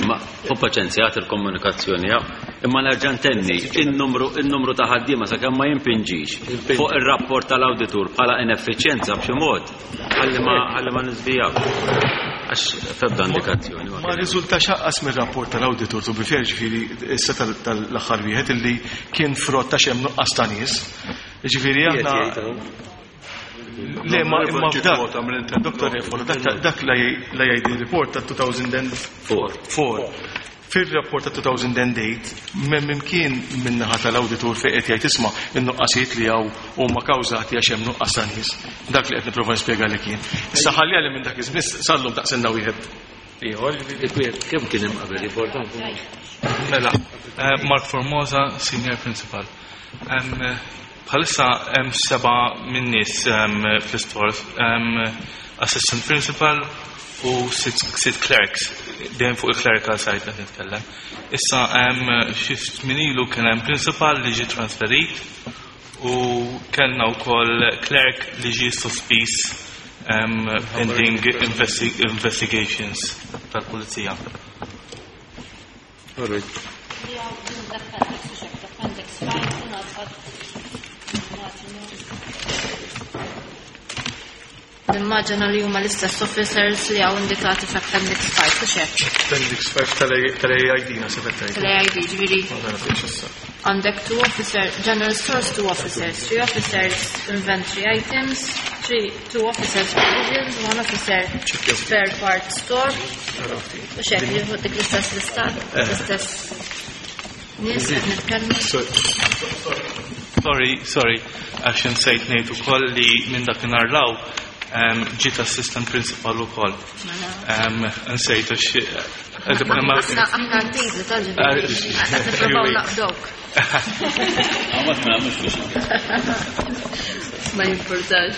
Ma hu paċenzja għat il-komunikazzjoni, ja. Imma nerġa' ntenni, in-numru ta' ħaddiema sakemm ma jimpinġix fuq ir-rapport tal-awditur bħala ineffiċjenza b'xi mod, ħalli ma niżvijaw. Għax febda indikazzjoni. Ma riżulta xaqqas mir-rapport tal-awditur, to be fair, ġifieri issa tal-aħħar wieħed illi kien frott ta' xemm nuqqas ta' nies. Ġifieri aħna Le, ma imma f'dak, Dottor Refalo, dak la jgħid il-report ta' 2004. Fil-rapport ta' 2008, m'hemm imkien min-naħa tal-awditur fejn qed jgħid isma' in-nuqqasijiet li hawn huma kawżati għax hemm nuqqas ta' nies. Dak li qed nipprova nispjega li kien. Issa ħalli għalli minn dak iż-żmien sallum daqsenna wieħed ieħor. Kemm kien hemm qabel importanti? Mela, Mark Formosa, Senior Principal. Bħalissa hemm 7 minn nies fl-istores, Assistant Principal u 6 clerks, dejjem fuq il-clerical side qed nitkellem. Issa hemm xi ftit ilu kien hemm principal li ġie trasferit u kellna wkoll clerk li ġie sospiż pending investigations tal-pulizija. All right. Nimmaġina li huma l-istess officers li hawn indikati f'Appendix 5, u xek? Appendix 5 tal-AID naħseb qed tgħid. Tal-AID, ġifieri. Ma nafx issa. Għandek 2 officer, general stores 2 officers, 3 officers inventory items, 2 officers provisions, 1 officer spare parts store. U xek, li dik l-istess lista, l-istess. Nies qed nitkellmu. Sorry, sorry, għax insejt ngħid ukoll li minn dakinhar law ġiet assistant principal ukoll. Nsejt għax Aħna għaddejt tal-ġifieri. Qed nippruvaw naqdok. Għamat ma nagħmlux biex. Ma jimpurtax.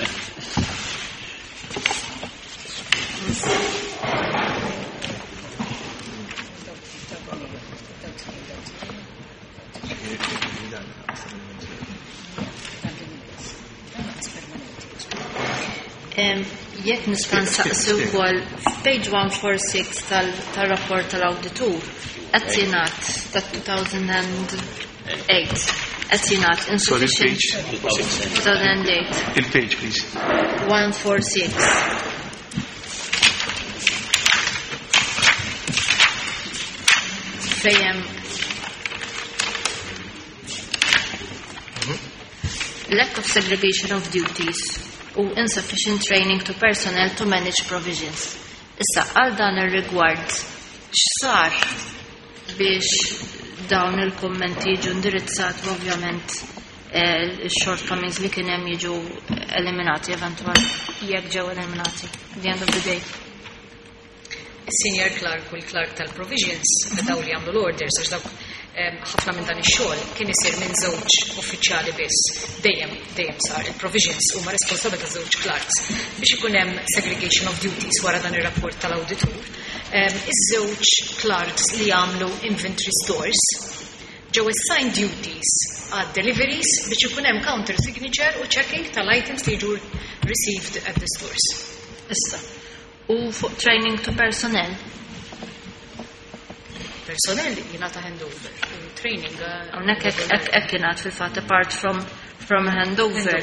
Jekk nista' nsaqsi wkoll f'page 146 tal-rapport tal-awditur qed jingħad tat-2008 qed jingħad insufficient 2008. Il-page please. 146. Fejn hemm lack of segregation of duties u insufficient training to personnel to manage provisions. Issa, għal dan ir-rigward, x'sar biex dawn il-kummenti jiġu indirizzati u ovvjament il-shortcomings li kien hemm jiġu eliminati eventualment jekk ġew eliminati at the end of the day. Senior clerk u l-clerk tal-provisions daw li għamlu l-orders għax dawk ħafna minn dan ix-xogħol kien isir minn żewġ uffiċjali biss. Dejjem dejjem sar il-provisions huma responsabbli ta' żewġ clerks biex ikun hemm segregation of duties wara dan ir-rapport tal-awditur. Iż-żewġ clerks li jagħmlu inventory stores ġew assigned duties għad deliveries biex ikun hemm counter signature u checking tal-items li jiġu received at the stores. Issa. U fuq training to personnel. Personnel jingħata handover u training Hawnhekk hekk jingħad fil-fatt apart from handover.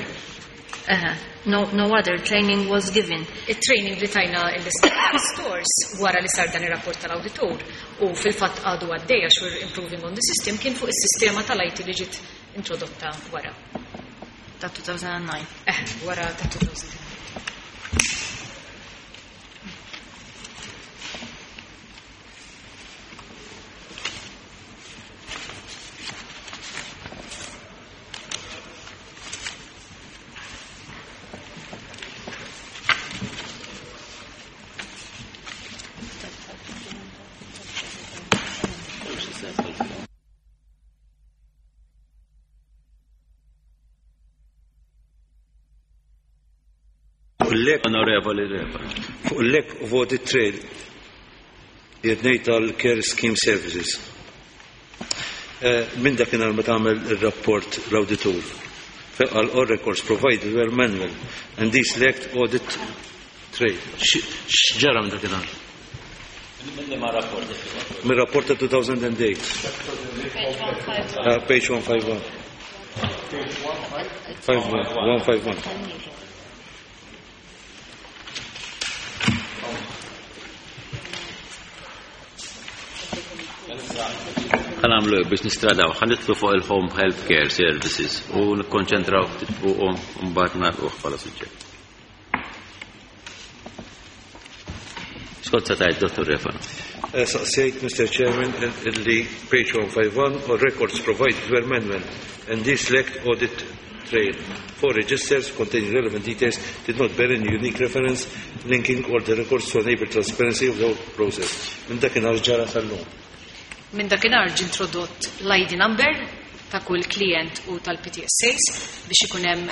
Eħe, no other training was given. Il-training li tajna l-stores wara li sar dan ir-rapport tal-awditur u fil-fatt għadu għaddej għax we're improving on the system kien fuq is-sistema tal-IT li ġiet introdotta wara. Ta' 2009. Wara ta' 2009. Onorevoli Repa. Fuq il-lack of audit trail jednej tal-Care Scheme Services. Minn dakinhar meta għamel ir-rapport l-awditur. Għal all records provided were manual and these lacked audit trail. X'ġara minn dakinhar? Minn ma rapport? Minn rapport ta' 2008. Page 151. 151. Ħa nagħmlu biex nistradaw, ħa nidħlu fuq il-Home Health Care Services u nikkonċentraw ftit fuqhom u mbagħad nagħlquh bħala suġġett. Skont sa tgħid, Dottor Refano. Saqsejt, Mr. Chairman, illi page 151 all records provided were manual and this lacked audit trail. Four registers containing relevant details did not bear any unique reference linking all the records to enable transparency of the whole process. Minn dakinhar ġara sal-lum. Minn dakinhar ġie introdott l-ID number ta' kull klient u tal-PTSAs biex ikun hemm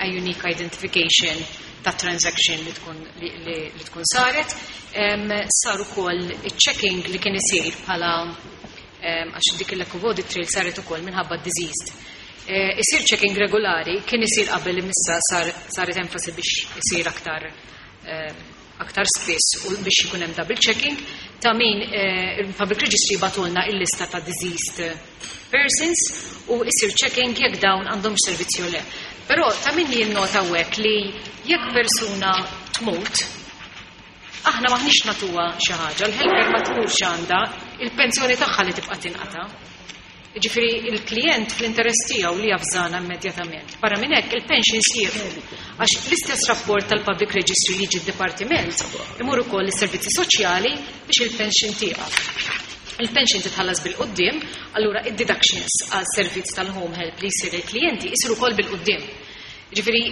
a unique identification ta' transaction li tkun li tkun saret. Sar ukoll iċ-checking li kien isir bħala għax dik il-lack of audit trail saret ukoll minħabba diseased. Isir checking regolari kien isir qabel imissa saret enfasi biex isir aktar spiss u biex ikun hemm double checking ta' min il-Public Registry bagħtulna il-lista ta' diseased persons u isir checking jekk dawn għandhom servizzi u le. Però ta' min jinnota hawnhekk li jekk persuna tmut, aħna maħniex natuha xi ħaġa, l-helper ma tmurx għandha, il-pensjoni tagħha li tibqa' tinqata'. Ġifieri il-klient fl-interess tiegħu li javżana immedjatament. Barra minn hekk il-pensions jieqfu. Għax l-istess rapport tal-Public Registry li jiġi d-dipartiment imur ukoll is-servizzi soċjali biex il-pension tieqaf. Il-pension titħallas bil-quddiem, allura id-deductions għal servizz tal-home help li jsir il-klijenti jsiru wkoll bil-quddiem. Ġifieri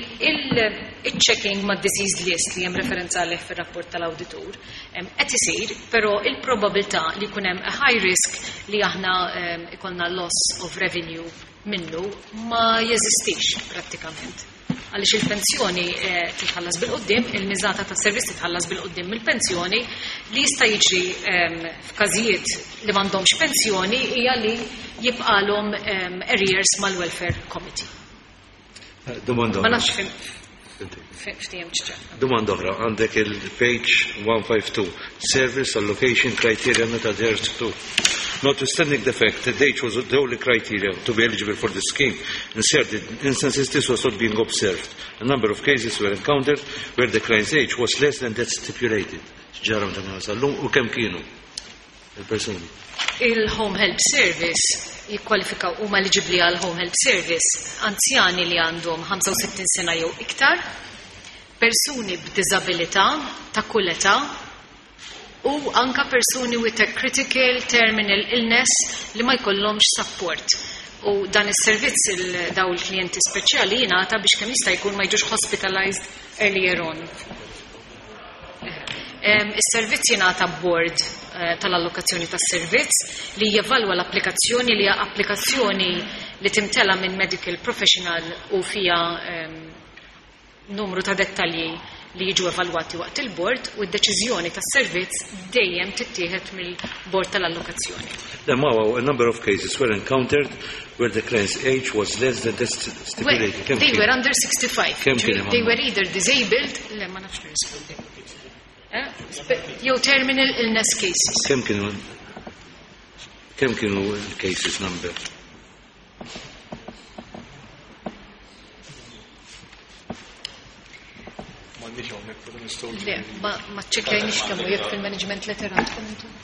il-checking ma' deceased list li hemm referenza għalih fir-rapport tal-awditur qed isir, però il-probabilità li jkun hemm a high risk li aħna ikollna loss of revenue minnu ma jeżistix prattikament. Għaliex il-pensjoni titħallas bil-quddiem, il-miżata ta' servizz titħallas bil-quddiem mill-pensjoni li jista' jiġri f'każijiet li m'għandhomx pensjoni hija li jibqalhom arrears mal-Welfare Committee. Domanda. Ma nafx fim ftehemtx ċar. Domanda oħra, għandek il-page 152, Service Allocation Criteria not adhered to. Notwithstanding the fact that age was the only criteria to be eligible for the scheme, in certain instances this was not being observed. A number of cases were encountered where the client's age was less than that stipulated. Ġara meta kien sal-lum u kemm kienu il-persuni? Il-Home Help Service jikkwalifikaw huma eligibbli għal Home Help Service anzjani li għandhom 65 sena jew iktar, persuni b'diżabilità ta' kull età u anka persuni with a critical terminal illness li ma jkollhomx support. U dan is-servizz il daw il-klijenti speċjali jingħata biex kemm jista' jkun ma jiġux hospitalized earlier on. Is-servizz jingħata board tal-allokazzjoni tas-servizz li jevalwa l-applikazzjoni li hija applikazzjoni li timtela minn medical professional u fija numru ta' dettalji li jiġu evalwati waqt il-bord u d-deċiżjoni tas-servizz dejjem tittieħed mill-bord tal-allokazzjoni. Then, a number of cases were encountered where the client's age was less than that stipulated. Well, they were under 65. Kemm kien hemm? They were either disabled, le ma nafx nirrispondi. Jew terminal illness cases. Kemm kienu cases number? M'għandniex hawnhekk, però nistgħu. Le, ma ċċekkjajniex kemm jekk fil-management letter għandkom intom.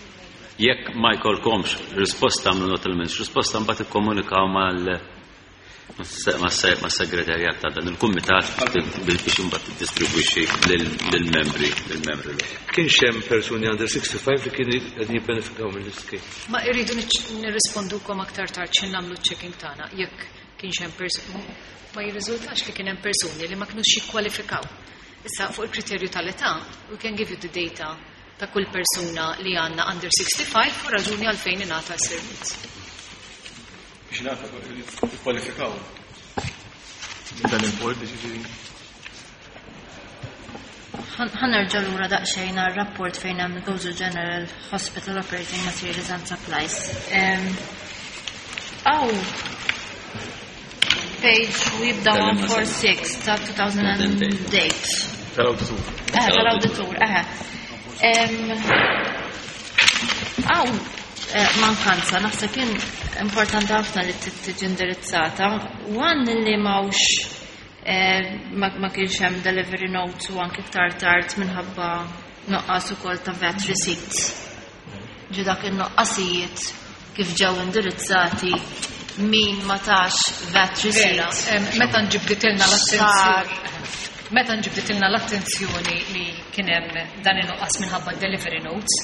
Jekk ma jkollkomx risposta minn notalment risposta mbagħad ikkomunikaw mal mas-segretarjat ta' dan il-kumitat biex imbagħad tiddistribwixxi lill-membri l-oħra. Kienx hemm persuni under 65 li kienu qegħdin jibbenefikaw mill-ischeme? Ma irridu nirrispondukom aktar tard x'in nagħmlu checking tagħna jekk kienx hemm persuni ma jirriżultax li kien hemm persuni li ma kinux jikkwalifikaw. Issa fuq il-kriterju tal-età, we can give you the data ta' kull persuna li għandna under 65 u raġuni għalfejn ingħata s-servizz. Biex nagħta ikkwalifikaw. Dan il-board ġifieri. Ħa nerġa' lura daqsxejn għar-rapport fejn hemm Gozo General Hospital Operating Materials and Supplies. Aw page u jibda 146 ta' 2008. Tal-awditur. Tal-awditur, eħe. Aw, mankanza, naħseb kien importanti ħafna li tiġi indirizzata. One li m'hawnx ma kienx hemm delivery notes u anke iktar tard minħabba nuqqas ukoll ta' VAT receipts. Ġi dak in-nuqqasijiet kif ġew indirizzati min ma tax VAT Vera, receipts. Meta nġibditilna l-attenzjoni li kien hemm dan in-nuqqas minħabba delivery notes,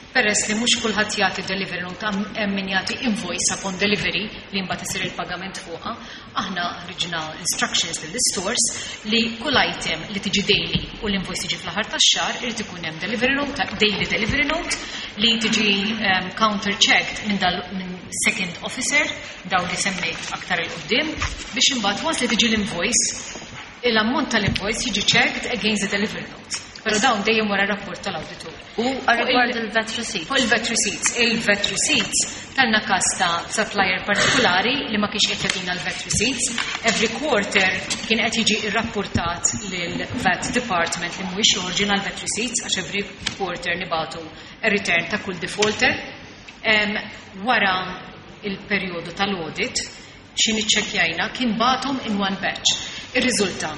peress li mhux kulħadd jagħti delivery note hemm min jagħti invoice upon delivery li mbagħad isir il-pagament fuqha, aħna ħriġna instructions lill-stores li kull item li tiġi daily u l-invoice tiġi fl-aħħar tax-xahar irid ikun hemm delivery note, daily delivery note li tiġi counter checked minn second officer daw li semmejt aktar il-qudiem biex imbagħad once li tiġi l-invoice l-ammont tal-invoice jiġi checked against the delivery note. Però dawn dejjem wara rapport tal-awditur. U rigward il-VAT receipts. Fuq il-VAT receipts. Il-VAT receipts kellna każ ta' supplier partikolari li ma kienx qed jagħtina l-VAT receipts. Every quarter kien qed jiġi rrapportat lil VAT department li mhuwiex joħorġina l-VAT receipts għax every quarter nibatu a return ta' kull defaulter. Wara il-perjodu tal-audit xi niċċekkjajna kien bagħathom in one batch. Ir-riżulta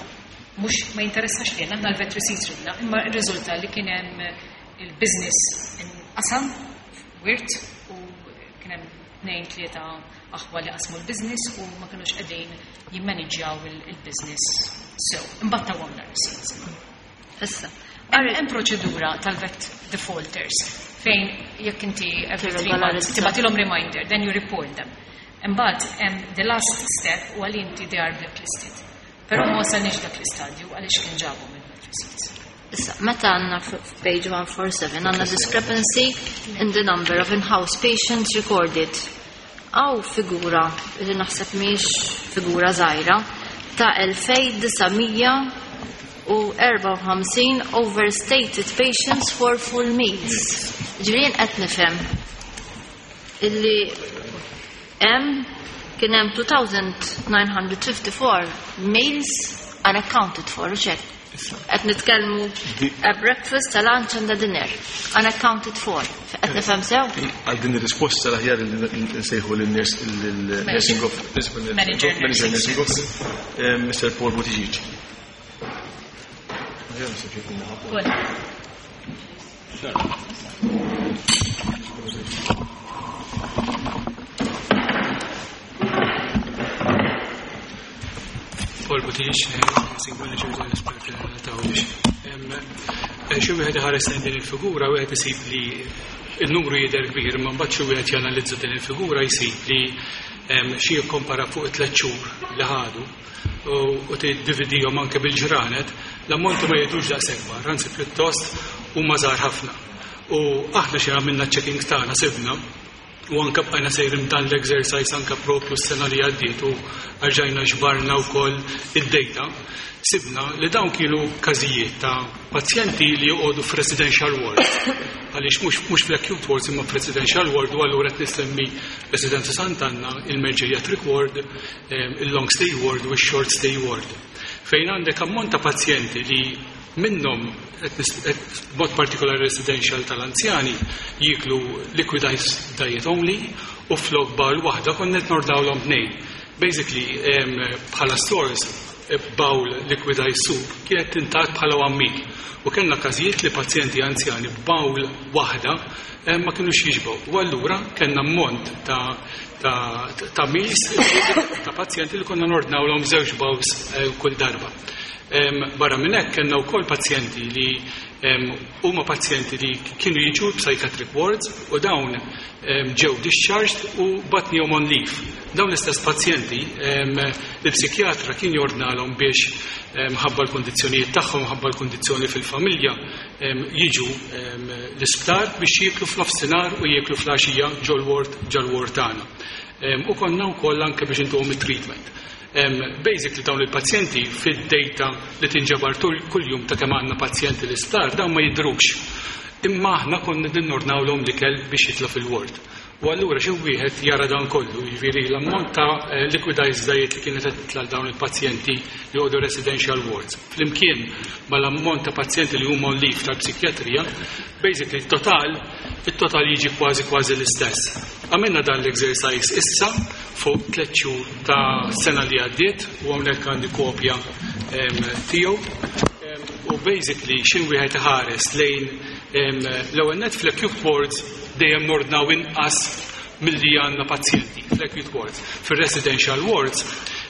mhux ma jinteressax lilna aħna l-VAT receipts ridna, imma r-riżulta li kien hemm il-business inqasam wirt u kien hemm tnejn tlieta aħwa li qasmu l-business u ma kinux qegħdin jimmaniġġjaw il-business sew. Imbagħad tawhomna receipts. Issa. Hemm proċedura tal-VAT defaulters. Fejn jekk inti every 3 months tibgħatilhom reminder, then you report them. Imbagħad hemm the last step u għal inti they are blacklisted. Però ma wasalniex dak l-istadju għaliex kien ġabu minn receipts. Issa, meta għandna f'page 147 għandna discrepancy in the number of in-house patients recorded. Hawn figura li naħseb mhix figura żgħira ta' 2954 overstated patients for full meals. Ġifieri qed nifhem illi hemm kien hemm 2954 meals unaccounted for, u hekk. Qed nitkellmu a breakfast, a lunch and a dinner unaccounted for. Qed nifhem sew? Għal din ir-risposta l-aħjar li nsejħu lil-nursing of principal Manager manager nursing officer, Mr. Paul Buttigieg. Paul. Paul Buttigieg, nursing manager tal-Isptar ta' Għawdex. Xi wieħed iħares lejn din il-figura, wieħed isib li il-numru jidher kbir, ma mbagħad xi wieħed janalizza din il-figura jsib li xi jikkompara fuq it-3 xhur li ħadu u tiddividihom anke bil-ġranet, l-ammonti ma jidhrux daqshekk kbar, anzi pjuttost huma żgħar ħafna. U aħna xi għamilna checking tagħna sibna u anka bqajna sejrin dan l-exercise anka propju s-sena li għaddiet u rġajna ġbarna wkoll id-data. Sibna li dawn kienu każijiet ta' pazjenti li joqogħdu f'residential wards. Għaliex mhux fl-acute wards imma f'residential ward u allura qed nissemmi Residenza Sant'Anna, il-Geriatric ward, il-long stay ward u il-short stay ward. Fejn għandek ammont ta' pazjenti li minnhom mod partikolari residential tal-anzjani jiklu liquidized diet only u flok bowl waħda konna qed nordnawlhom tnejn. Basically, bħala stores, bowl liquidized soup kienet tingħad bħala one meal. U kellna każijiet li pazjenti anzjani bowl waħda ma kienux jixbgħu. U allura kellna ammont ta' meals ta' pazjenti li konna nordnawlhom żewġ bowls kull darba. Barra minn hekk kellna wkoll pazjenti li huma pazjenti li kienu jiġu psychiatric wards u dawn ġew discharged u bgħatnihom on leave. Dawn l-istess pazjenti il-psikjatra kien jordnalhom biex ħabba l-kondizzjonijiet tagħhom, ħabba l-kondizzjoni fil-familja, jiġu l-isptar biex jieklu f'nofsinhar u jieklu fl-għaxija ġol-ward ġol-ward tagħna. U konna wkoll anke biex intuhom it-treatment. Basically dawn il-pazjenti fid-data li tinġabar kuljum ta' kemm għandna pazjenti l-isptar dawn ma jidhrux. Imma aħna konna nordnawlhom l-ikel biex jitla' fil-ward. U allura xi wieħed jara dan kollu, jiġifieri l-ammont ta' liquidized diet li kienet qed titla' dawn il-pazjenti li joqogħdu residential wards. Flimkien mal-ammont ta' pazjenti li huma on leave tal-psikjatrija, basically il-total jiġi kważi kważi l-istess. Għamilna dan l-exercise issa fuq 3 xhur ta' sena li għaddiet u hawnhekk għandi kopja tiegħu. U basically xin wieħed iħares lejn l-ewwel net fl-acute wards dejjem nordnaw inqas milli għandna pazjenti fl-acute wards. Fil-residential wards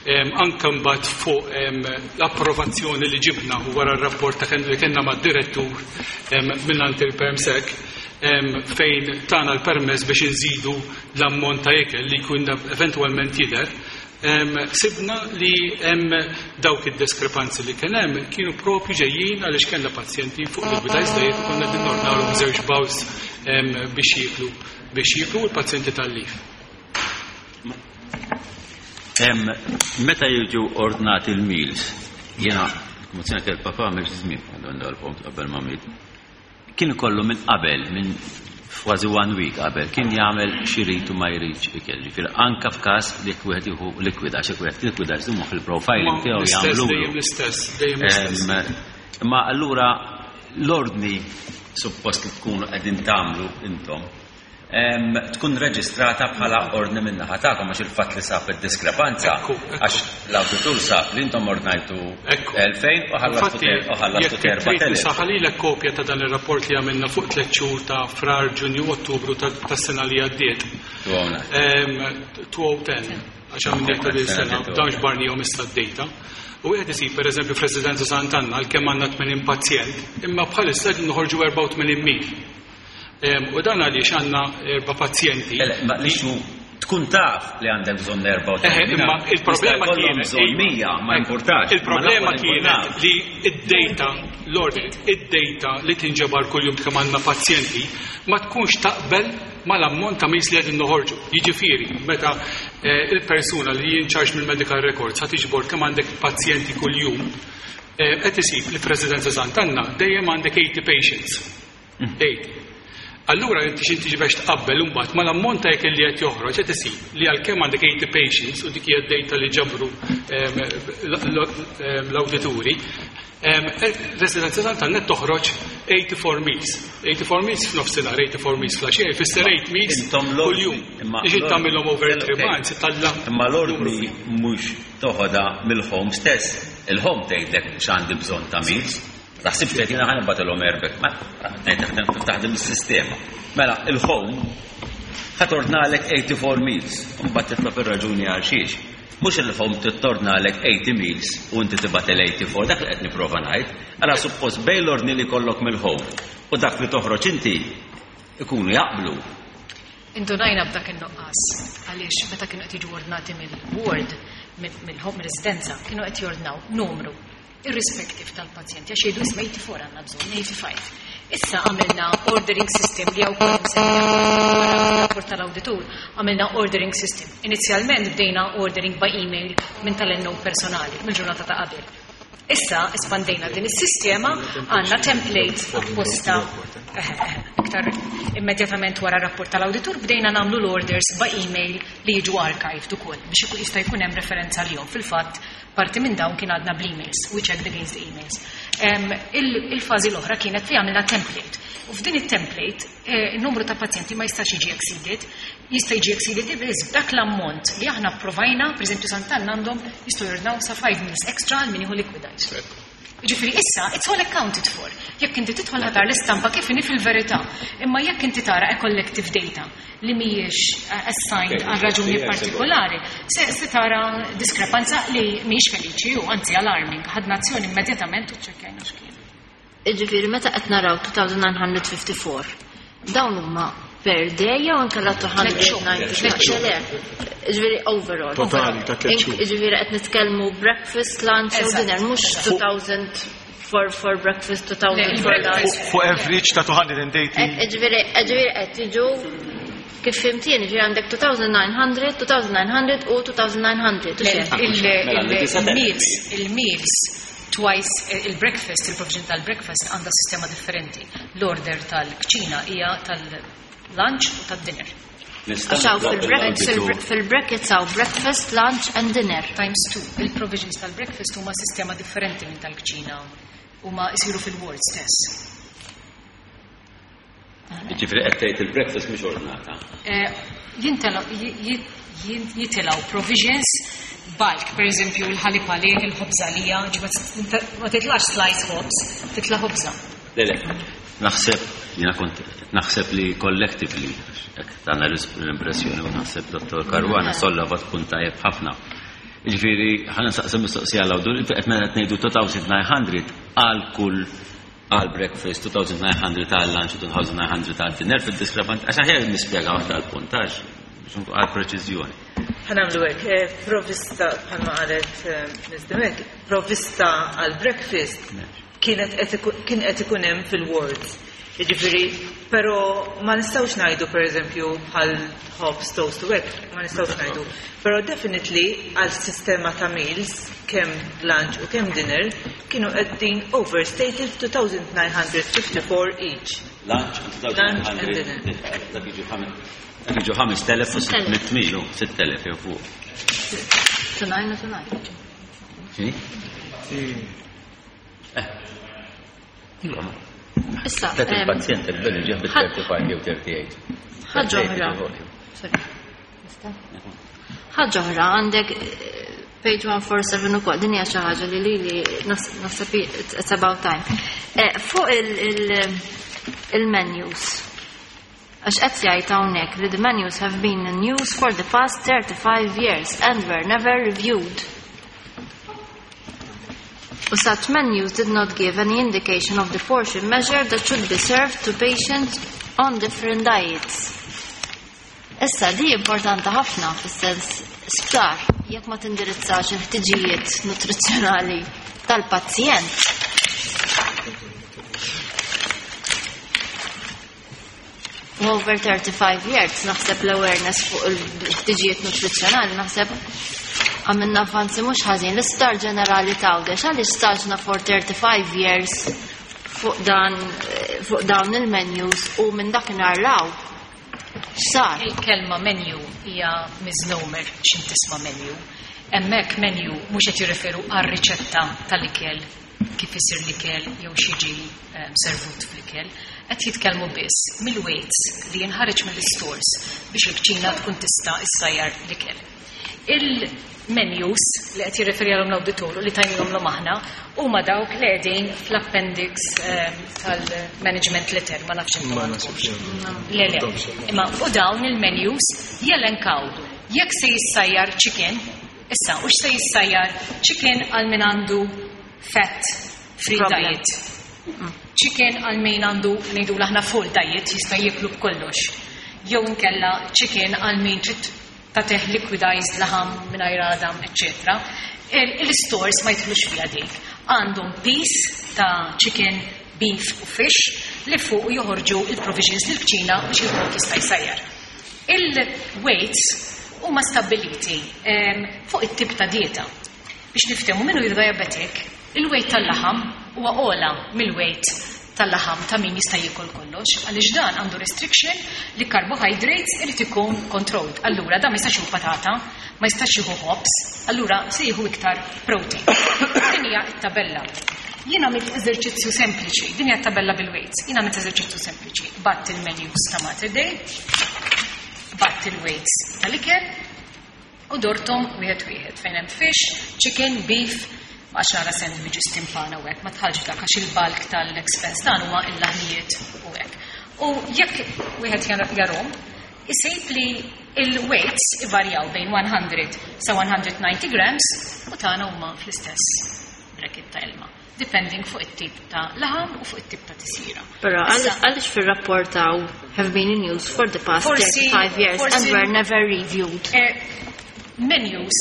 anke mbagħad fuq l-approvazzjoni li ġibna wara r-rapport ta' li kellna mad-direttur minn il-PermSec fejn tana l-permess biex inżidu l-ammont ta' ikel li jkun eventualment jidher. Sibna li hemm dawk id-diskrepanzi li kien hemm kienu propju ġejjin għaliex kellna pazjenti fuq liquidized diet u konna din nordnawlhom żewġ bowls biex jieklu l-pazjenti tal-leave. Meta jiġu ordnati il-meals, jena, mozzjoni il-papa għamil żmien, għandu għal-punt qabel ma miet. Kien ikollu minn qabel, minn kważi one week qabel, kien jagħmel x'irid u ma jridx ikel. Ġifieri anka f'każ li jekk wieħed jieħu liquid, għax jekk wieħed liquid għax huma fil-profiling tiegħu L-istess, jagħmlu. dejjem l-istess, dejjem l-istess. Ma allura l-ordni suppost li tkunu qegħdin tagħmlu intom tkun reġistrata bħala ordni min-naħa tagħkom, għax il-fatt li sab id-diskrepanza, għax l-awditur sab li intom ordnajtu 2000 u ħallastu Infatti, u ħallastu jekk trid 4000. nisaħalilek kopja ta' dan ir-rapport li għamilna fuq 3 xhur ta' Frar, Ġunju, Ottubru tas-sena li għaddiet. 2010, għax għamilna ta' din sena, dawn ġbarnihom issa d-data. U wieħed isib pereżempju f'Residenza Sant'Anna għalkemm għandna 80 pazjent, imma bħalissa qegħdin noħorġu 84 meal. U dan għaliex għandna erba' pazjenti. Ma l-issue tkun taf li għandek bżonn 84. Imma il-problema kienet bżonn 100, ma importax. Il-problema kienet li id-data, l-ordni, id-data li tinġabar kuljum kemm għandna pazjenti ma tkunx taqbel mal-ammont ta' meals li qegħdin noħorġu. Jiġifieri, meta il-persuna li in charge mill-medical records ħa tiġbor kemm għandek pazjenti kuljum, qed isib li f'Residenza Sant'Anna dejjem għandek 80 patients. 80. Allura inti x'inti tiġi biex tqabbel imbagħad mal-ammont ta' ikel li qed joħroġ, qed isib li għalkemm għandek 80 patients u dik hija d-data li ġabru l-awdituri, Residenza Sant'Anna toħroġ 84 meals. 84 meals f'nofsinhar, 84 meals fl-għaxija, jfisser 8 meals kuljum. Biex tagħmilhom over 3 months, talla. Imma l-ordni mhux toħodha mill-home stess. Il-home tgħidlek x'għandi bżonn ta' meals. Taħsibx li jiena ħa nibgħatilhom erbek, ma ngħid kif taħdem is-sistema. Mela, il-home ħa tordnalek 84 meals, u mbagħad titlob ir-raġuni għal xiex. Mhux il-home tordnalek 80 meals u inti tibgħat il-84, dak li qed nipprova ngħid. Ara suppost bejn l-ordni li jkollok mill-home u dak li toħroġ inti ikunu jaqblu. Indunajna b'dak in-nuqqas għaliex meta kienu qed jiġu ordnati mill-ward, mill-home residenza, kienu qed jordnaw numru irrispective tal-pazjenti, għax jgħidu, "Isma', 84 għandna bżonn, 85." Issa għamilna ordering system li hawn wara rapport tal-awditur, għamilna ordering system. Inizjalment bdejna ordering by email minn tal-NO personali, mill-ġurnata ta' qabel. Issa espandejna din is-sistema, għandna template apposta iktar immedjatament wara rapport tal-awditur bdejna nagħmlu l-orders by email li jiġu archived ukoll biex jista' jkun hemm referenza lihom. Fil-fatt, parti minn dawn kien għadna bl-emails, we checked against the emails. Il-fażi l-oħra kienet li għamilna template. U f'din it-template, il-numru ta' pazjenti ma jistax jiġi exceeded, jista' jiġi exceeded biss b'dak l-ammont li aħna approvajna, per eżempju Sant'Anna għandhom jistgħu jordnaw sa 5 meals extra għal min jieħu liquidized. Ġifieri issa, it's all accounted for. Jekk inti tidħol ħa tara l-istampa kif inhi fil-verità. Imma jekk inti tara a collective data li mhijiex assigned għal raġuni partikolari, se tara diskrepanza li mhijiex feliċi u anzi alarming. Ħadna azzjoni immedjatament u ċċekkjajna x'kien. Ġifieri meta qed naraw 2954, dawn huma per day jew inkella 290? Le, ġifieri overall. Totali ta' 3 xhur. Ġifieri qed nitkellmu breakfast, lunch u dinner, mhux 2000 for breakfast, 2000 for lunch. Fuq average ta' 280. Ġifieri qed tiġu kif fhimtien, ġifieri għandek 2900, 2900 u 2900. Il-meals twice, il-breakfast, il-provision tal-breakfast għandha sistema differenti. L-order tal-kċina hija tal-lunch u tad-dinner. Għax hawn fil-brackets hawn breakfast, lunch and dinner. Times two. Il-provisions tal-breakfast huma sistema differenti minn tal-kċina. Huma jsiru fil-ward stess. Ġifieri qed tgħid il-breakfast mhux ordnata. Jitilgħu provisions bulk, per eżempju l-ħalib għalih, il-ħobża għalija, ma titlax slice ħobż, titla' ħobża. Le, naħseb, jiena kont naħseb li collectively, hekk tagħna l-impressjoni u naħseb Dottor Caruana sollevat punt tajjeb ħafna. Ġifieri, ħa nsaqsi mistoqsija l-awditur, inti qed meta qed ngħidu 2900 għal kull għal breakfast, 2900 għal lunch, 2900 għal dinner fil-diskrepant, għax aħjar nispjega waħda għal puntaġ, biex nkun għal preċiżjoni. Ħa nagħmlu hekk, provvista bħalma qalet Ms. Demek, provvista għal breakfast kien qed ikun hemm fil-wards. Jiġifieri, però ma nistgħux ngħidu pereżempju bħal ħobż, toast u hekk, ma nistgħux ngħidu. Però definitely għal sistema ta' meals, kemm lunch u kemm dinner, kienu qegħdin overstated 2954 each. Lunch and Lunch and dinner. Dak jiġu 5600 milu, 6000 jew fuq. Tonight, tonight. X'inhi? Iva, ma. Issa, Tet il-pazjent il-belli ġieħ bit 35 jew 38. Ħaġa oħra. Sorry. Nista'? Ħaġa oħra, għandek page 147 ukoll, din hija xi ħaġa li lili naħseb it's about time. Fuq il-menus. Għax qed jgħid hawnhekk li the menus have been in use for the past 35 years and were never reviewed. U such menus did not give any indication of the portion measure that should be served to patients. on different diets. Issa di importanti ħafna fis-sens sptar jekk ma tindirizzax il-ħtiġijiet nutrizzjonali tal-pazjent. U over 35 years naħseb l-awareness fuq il-ħtiġijiet nutrizzjonali naħseb għamilna avvanzi mhux ħażin. L-isptar ġenerali t'Għawdex għaliex staġna for 35 years fuq dan fuq dawn il-menus u minn dakinhar law x'sar? Il-kelma menu hija misnomer x'int tisma' menu. Hemmhekk menu mhux qed jirreferu għar-riċetta tal-ikel kif isir l-ikel jew x'jiġi servut fl-ikel. Qed jitkellmu biss mill-weights li jinħareġ mill-istores biex il-kċina tkun tista' issajjar l-ikel. Il-menus li qed jirreferi għalhom l-awditur u li tajnihomlhom aħna huma dawk li qegħdin fl-appendix tal-management letter, ma nafx intom Ma għandkomx. nasibx. Le, le. Imma u dawn il-menus jelenkaw jekk se jissajjar chicken, issa u x'se jissajjar chicken għal min għandu fat free Problem. diet. Chicken għal min għandu ngħidu aħna full diet jista' jieklu b'kollox. Jew inkella chicken għal min trid tagħtih liquidized laħam mingħajr għadam, eċċetera. Il-stores ma jidħlux fiha dik. Għandhom piece ta' chicken, beef u fish li fuq joħorġu il-provisions lill-kċina biex il-kok jista' jsajjar. Il-weights huma stabbiliti fuq it-tip ta' dieta. Biex niftehmu min hu diabetic, il-weight tal-laħam huwa ogħla mill-weight tal-laħam ta' min jista' jiekol kollox, għaliex dan għandu restriction li carbohydrates irid ikun controlled. Allura dan ma jistax jieħu patata, ma jistax jieħu ħobż, allura se jieħu iktar protein. Din hija t-tabella. Jien għamilt eżerċizzju sempliċi, din hija t-tabella bil-weights. Jien għamilt eżerċizzju sempliċi. Batt il-menus ta' Mater Dei, batt il-weights tal-ikel u dortom wieħed wieħed fejn hemm fish, chicken, beef, għax nara sandwiches timpana u hekk, ma tħallx dak għax il-bulk tal-expense dan huwa il-laħmijiet u hekk. U jekk wieħed jarhom, isib li il-weights ivarjaw bejn 100 sa 190 grams u tagħna huma fl-istess bracket ta' ilma, depending fuq it-tip ta' laħam u fuq it-tip ta' tisjira. Però Issa, għaliex fir-rapport hawn have been in use for the past 35 years and were never reviewed. Menus,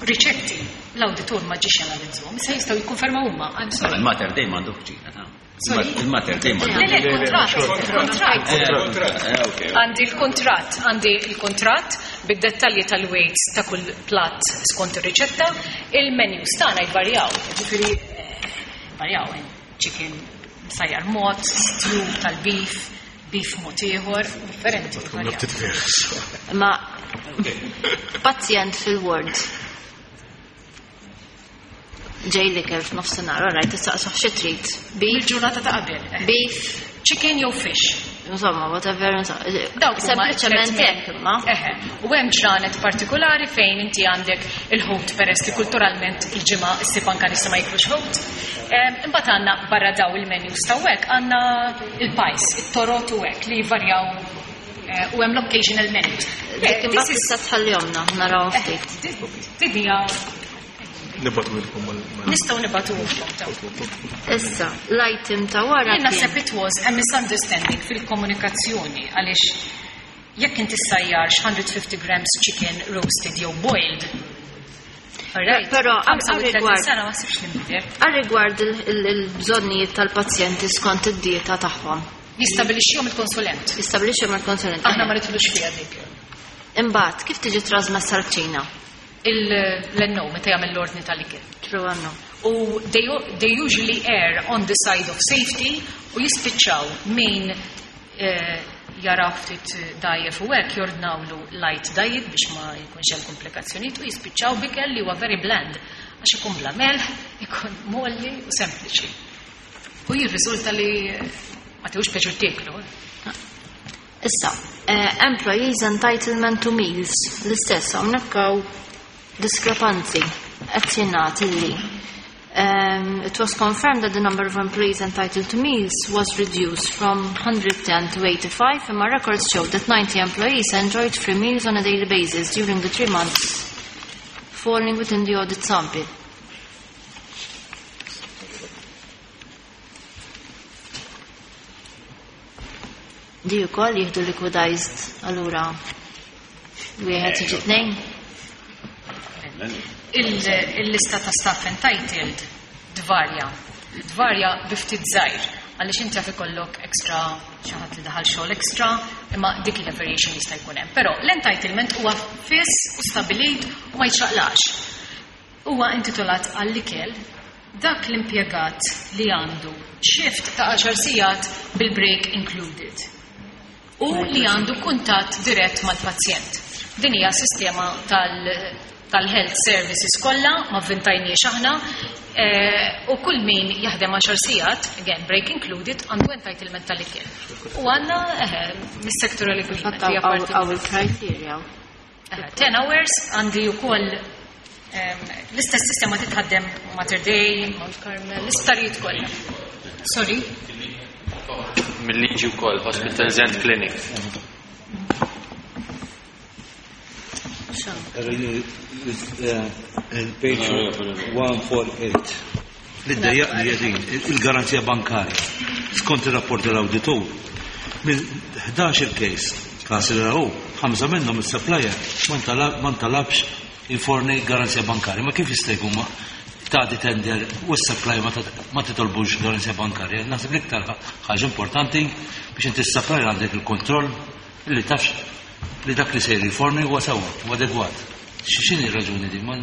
riċetti, l-awditur ma ġiex janalizzhom, issa jistgħu jikkonfermaw huma. I'm sorry. Il-Mater Dei m'għandu kċina, ta' Sorry? Il-Mater Dei m'għandu. Le, le, kontratt, kontratt. Ok. Għandi l-kontratt, għandi l-kontratt bid-dettalji tal-weights ta' kull platt skont ir-riċetta, il-menus tagħna jvarjaw, ġifieri varjaw chicken msajjar mod, stew tal-beef, beef mod ieħor, differenti. Varjaw. Ma pazjent fil-ward ġej l-ikel f'nofsinhar, alright, tistaqsih xi trid. Beef, Il-ġurnata ta' qabel. Beef, chicken jew fish. Insomma, whatever, insomma. Dawk huma Sempliċement tliet hekk imma. Eħe, u hemm ġranet partikolari fejn inti għandek il-ħut peress li kulturalment il-ġimgħa issib anke nies li ma jiklux ħut. Imbagħad għandna barra daw il-menus ta' hekk għandna il-pies, it-torot u hekk li jvarjaw u hemm l-occasional menus. Dik imbagħad tista' tħallihomna naraw ftit. Din hija Nibagħtu lilkom nistgħu nibagħtuhom ta' Issa, l-item ta' wara Jien naħseb it was a misunderstanding fil-komunikazzjoni għaliex jekk inti ssajjarx 150 grams chicken roasted jew boiled. Alright. Però 35 għal-rigward sena ma sibx nbidel. għal-rigward il-bżonnijiet tal-pazjenti skont id-dieta tagħhom. Jistabilixxihom il-konsulent. Jistabilixxihom il-konsulent. Aħna ma nidħlux fiha dik. Imbagħad kif tiġi trasmessa l-kċina? Il-NO meta jagħmel l-ordni tal-ikel. True or no? U they usually err on the side of safety u jispiċċaw min jara ftit dajjef u hekk jordnawlu light diet biex ma jkunx hemm komplikazzjonijiet u jispiċċaw b'ikel li huwa very bland għax ikun bla melħ, ikun molli u sempliċi. U jirriżulta li ma tiħux pjaċir tieklu. Issa, employees entitlement to meals, l-istess, hawnhekk hawn diskrepanzi qed jingħad illi it was confirmed that the number of employees entitled to meals was reduced from 110 to 85, and my records show that 90 employees enjoyed free meals on a daily basis during the 3 months falling within the audit sample. Di wkoll jieħdu liquidized allura wieħed jiġi tnejn. Il-lista ta' staff entitled tvarja. Tvarja bi ftit żgħir għaliex inti jaf ikollok extra xi ħadd li daħal xogħol extra, imma dik hija variation jista' jkun hemm. Però l-entitlement huwa fiss u stabilit u ma jiċċaqlax. Huwa intitolat għall-ikel dak l-impjegat li għandu shift ta' 10 sigħat bil-break included u li għandu kuntatt dirett mal-pazjent. Din hija sistema tal-health services kollha, ma vvintajniex aħna, u kull min jaħdem 10 sigħat, again break included, għandu entitlement tal-ikel. U għandna mis-sectoral agreement. Għaw il-criteria. 10 hours għandi wkoll l-istess sistema titħaddem Mater Dei, Mount Carmel, l-isptarijiet kollha. Sorry. Mill-liġi wkoll, hospitals and clinics. Il-page 148. Li ddejjaqni hija din, il-garanzija bankarja. Skont ir-rapport tal-awditur, minn 11 il-case, każ li rahu, ħamsa minnhom is-supplier ma ntalabx jiforni garanzija bankarja. Ma kif jista' jkun ma tagħti tender u s-supplier ma titolbux garanzija bankarja? Naħseb l-iktar ħaġa importanti biex inti s-supplier għandek il-kontroll li tafx li dak li sejr jiforni huwa sewwa u adegwat. X'inhi r-raġuni din? Ma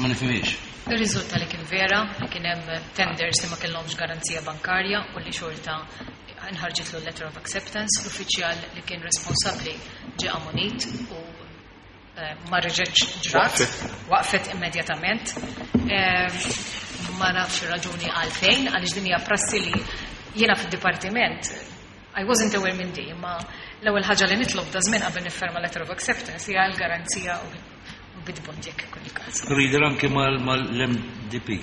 nifhimhiex. Ir-riżulta li kien vera li kien hemm tenders li ma kellhomx garanzija bankarja u li xorta nħarġitlu letter of acceptance, l-uffiċjal li kien responsabbli ġie ammonit u ma reġgħetx ġrat, waqfet immedjatament. Ma nafx ir-raġuni għalfejn, għaliex din hija prassi li jiena fid-dipartiment I wasn't aware minn di, imma l-ewwel ħaġa li nitlob da żmien qabel nifferma letter of acceptance hija l-garanzija u bid bond jekk ikun il-każ. Reader anke mal-MDP.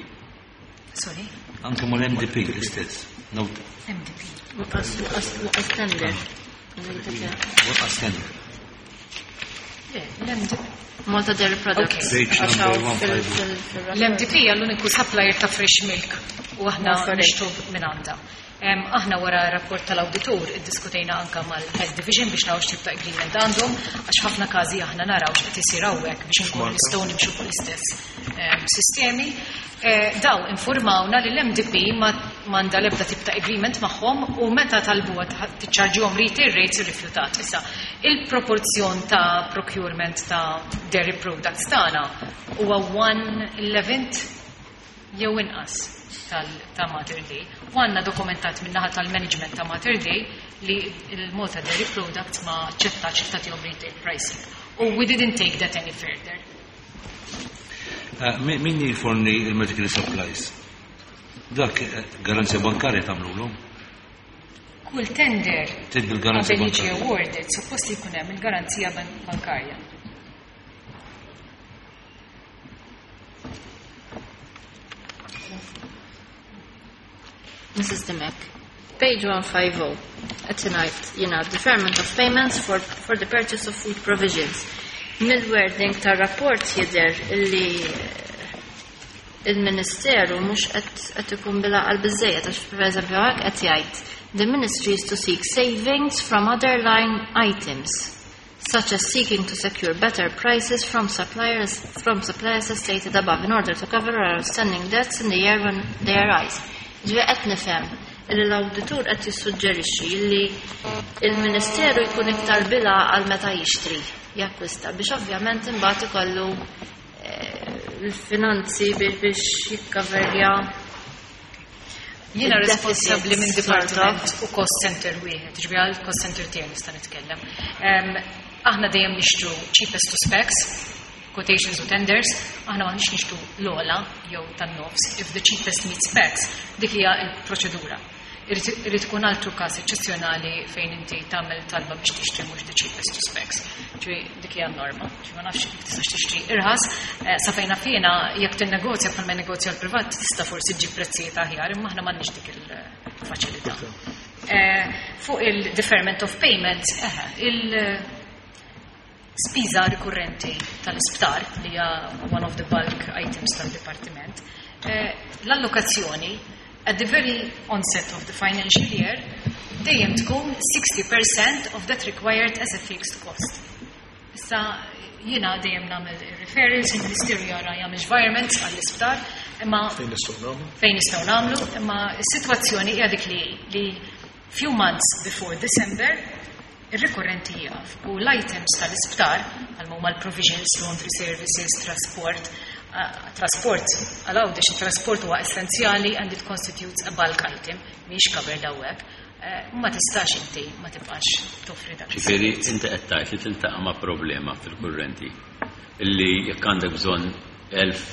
Sorry? Anke mal-MDP l-istess. Note. MDP. Waqas tender. Waqas tender. Le, l-MDP. Malta Dairy Products. Page number 150. L-MDP hija l-uniku supplier ta' fresh milk u aħna nixtru minn għandha. Aħna wara rapport tal-awditur iddiskutejna anka mal-Head Division biex naraw x'tip ta' agreement għandhom, għax ħafna każi aħna naraw x'qed isir hawnhekk biex inkunu nistgħu nimxu fuq l-istess sistemi. Daw informawna li l-MDP m'għandha l-ebda tip ta' agreement magħhom u meta talbuha tiċċarġihom retail rates irrifjutat. Issa, il-proporzjon ta' procurement ta' dairy products tagħna huwa 1/11 jew inqas ta' Mater Dei. U għandna dokumentat min-naħa tal-management ta' Mater Dei li il-Malta Dairy Products ma ċettax li tagħtihom retail pricing. U we didn't take that any further. Min jiforni il-medical supplies? Dak garanzija bankarja tagħmlulu? Kull tender Trid bil-garanzija qabel jiġi bankarja. awarded, suppost li jkun hemm il-garanzija bankarja. Mrs. Dimech, page 150, at tonight, deferment of payments for the purchase of food provisions. Mill-wording tar-rapport jidher illi il-Ministeru mhux qed ikun bil-għaqal biżejjed, għax pereżempju hekk qed jgħid the ministry is to seek savings from other line items, such as seeking to secure better prices from suppliers as stated above in order to cover our outstanding debts in the year when they arise. Ġifieri qed nifhem li l-awditur qed jissuġġerixxi li il-Ministeru jkun iktar bila għal meta jixtri, jakkwista, biex ovvjament imbagħad ikollu l-finanzi biex jikkaverja. Jiena il-deficit responsabbli minn sort of. dipartiment u cost center wieħed, ġifieri għal cost center tiegħi nista' nitkellem. Aħna dejjem nixtru cheapest to specs, quotations u tenders, aħna m'aħniex nixtru l-ogħla jew tan-nofs, if the cheapest meets specs, dik hija l-proċedura. Irid ikun altru każ eċċezzjonali fejn inti tagħmel talba biex tixtri mhux the cheapest to specs. Ġifieri dik hija n-norma. Ġifieri ma nafx jekk tistax tixtri irħas, sa fejn naf jiena jekk tinnegozja bħalma negozja l-privat tista' forsi ġġib prezzijiet aħjar, imma aħna m'għandniex dik il-faċilità. Fuq il-deferment of payments, il-spiża rikurrenti tal-isptar, li hija one of the bulk items tal-dipartiment, l-allokazzjoni at the very onset of the financial year Dejjem tkun 60% of that required as a fixed cost. Issa jiena dejjem nagħmel referrals, il-Ministeru jara jagħmel environments għall-isptar, imma Fejn nistgħu nagħmlu? fejn nistgħu nagħmlu, imma s-sitwazzjoni hija dik li li few months before December ir-rikorrenti jieqaf u l-items tal-isptar għal huma l-provisions, laundry services, trasport, trasport għal Għawdex il-trasport huwa essenzjali and it constitutes a bulk item, mhix covered hawnhekk. Ma tistax inti ma tibqax toffri dak. Ġifieri inti qed tgħid li tiltaqa' ma' problema fil-kurrenti illi jekk għandek bżonn 1000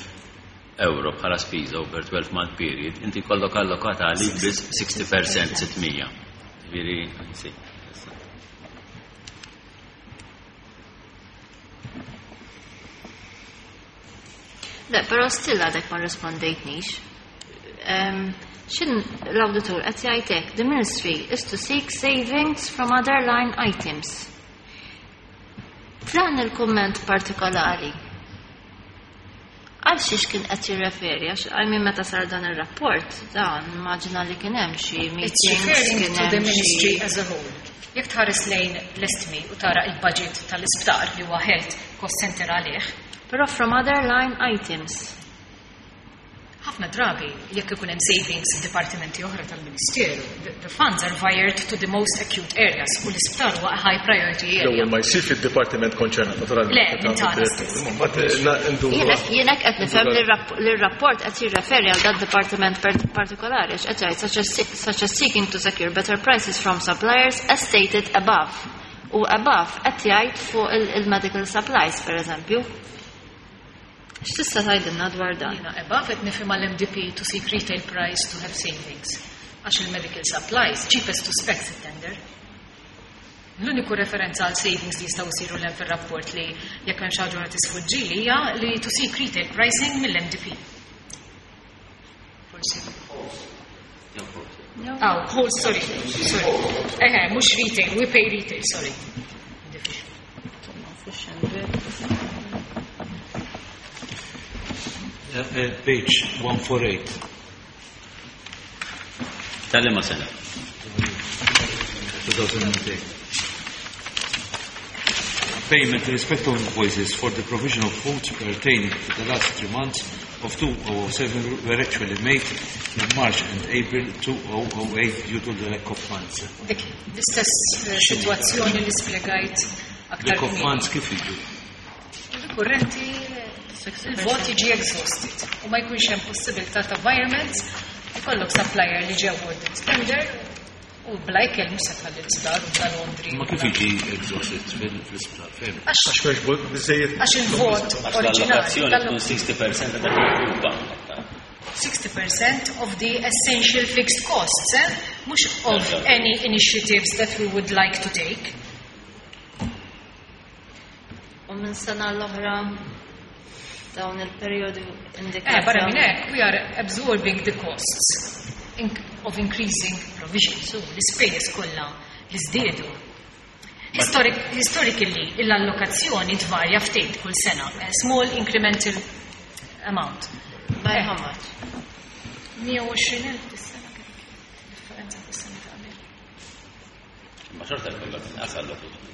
euro bħala spiża over 12 month period, inti jkollok allokata għalik biss 60% 600. Ġifieri, sì. Le, però still għadek ma rispondejtnix. Xin l-auditur qed jgħid hekk, the ministry is to seek savings from other line items. F'dan il-kumment partikolari, għal xiex kien qed jirreferi, għax għal min meta sar dan ir-rapport, dan immaġina li kien hemm xi It's meetings, referring kien to the hemm ministry xi as a whole. Jekk tħares lejn l-estmi u tara il-budget tal-isptar li huwa health cost center għalih. Però from other line items. Ħafna drabi, jekk ikun hemm savings f'dipartimenti oħra tal-Ministeru, the funds are wired to the most acute areas u l-isptar huwa a high priority area. L-ewwel ma jsir fid-dipartiment konċernat, naturalment. Le, minn tagħna stess. Imma mbagħad nduru. Jiena qed nifhem li r-rapport qed jirreferi għal dat dipartiment partikolari għax qed jgħid such as seeking to secure better prices from suppliers as stated above. U above qed jgħid fuq il-medical supplies, per eżempju. X'tista' tgħidilna dwar dan? Jiena above qed nifhem għall-MDP to seek retail price to have savings. Għax il-medical supplies cheapest to specs tender. L-uniku referenza għal savings li jistgħu jsiru l fir-rapport li jekk hemm xi ħaġa tisfuġġi li hija li to seek retail pricing mill-MDP. Forsi. Oh, whole, sorry, sorry. Eħe, mhux retail, we pay retail, sorry. Page 148. Tal-liema sena? 2008. Payment in respect of invoices for the provision of foods pertaining to the last 3 months of 2007 were actually made in March and April 2008 due to the lack of funds. Dik, l-istess situazzjoni li spjegajt aktar Lack of kmieni. funds kif jiġu? Il-kurrenti, il-vot jiġi exhausted u ma jkunx hemm possibilità ta' virements, ikollok supplier li ġew awarded tender u bla ikel mhux se tħalli l-isptar u bla laundry. Ma kif jiġi exhausted fil-isptar? Fem? Għax Għax m'hemmx biżejjed. Għax il-vot Għax oriġinali l-allokazzjoni tal- tkun 60% ta' dak il-grupa. 60% of the essential fixed costs, eh? Mhux of any initiatives that we would like to take. U minn sena l-oħra dawn il-periodu indikati. Barra minn hekk, we are absorbing the costs of increasing provision. So l-ispejjeż kollha li żdiedu. Historically, l-allokazzjoni tvarja ftit kull sena, a small incremental amount. By how much? 120,000 dis-sena kien differenza fis-sena ta' qabel. Ma xorta jkollok inqas allocation.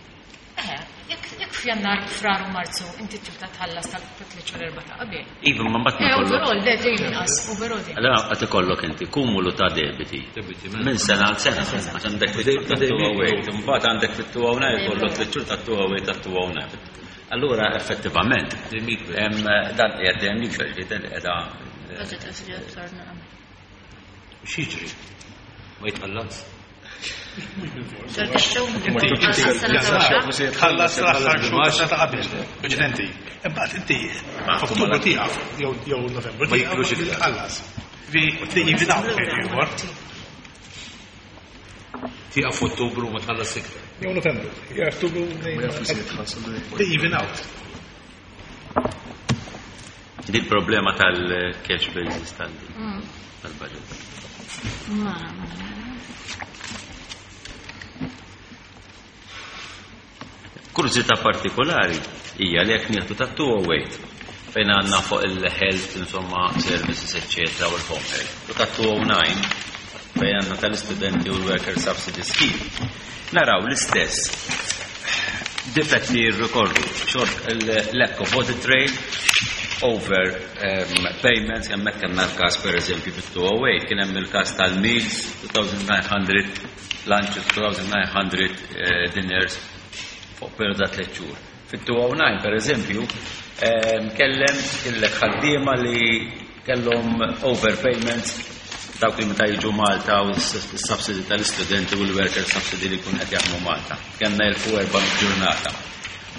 Jekk f'Jannar, Frar u Marzu inti tibda tħallas tal-tliet xhur erba' ta' qabel. Iva, ma mbagħad ma jkollok. Overall, le dejjem inqas, overall dejjem. Allora qed ikollok inti kumulu ta' debiti. Minn sena għal sena, għax għandek fit ta' 208, imbagħad għandek fit 209 jkollok tliet xhur ta' 208 ta' 209. Allura effettivament, dan qiegħed dejjem jikber, ġifieri dan qiegħda Budget qed jiġi aktar naqam. X'jiġri? Ma jitħallas? Tħallas l-aħħar xhur tas-sena ta' qabel, preċedenti. Imbagħad inti f'Ottubru tieqaf jew Novembru Ma jiklux tieqaf iktar. tħallas. Vi jivinaw ieħor. Tieqaf f'Ottubru ma tħallas iktar. Jew Novembru. Jew Ottubru. They even out. Di l-problema tal-cash basis tal-budget. Ma, Kurżità partikolari hija li jekk nieħdu ta' 208 fejn għandna fuq il-health, insomma, services, eccetera, u l-home health. U ta' 209 fejn għandna tal-istudenti u l-Worker Subsidy Scheme, naraw l-istess difetti jirrikorru, short lack of audit trail, over payments, hemmhekk kellna l-każ pereżempju fit-208, kien hemm il-każ tal-meals, 2900 lunches, 2900 dinners fuq periodu ta' 3 xhur. Fit-209 pereżempju, kellem kellek ħaddiema li kellhom overpayments dawk li meta jiġu Malta u s-subsidy tal-istudenti u l-worker subsidy li jkun qed jaħdmu Malta. Kellna 1400 ġurnata.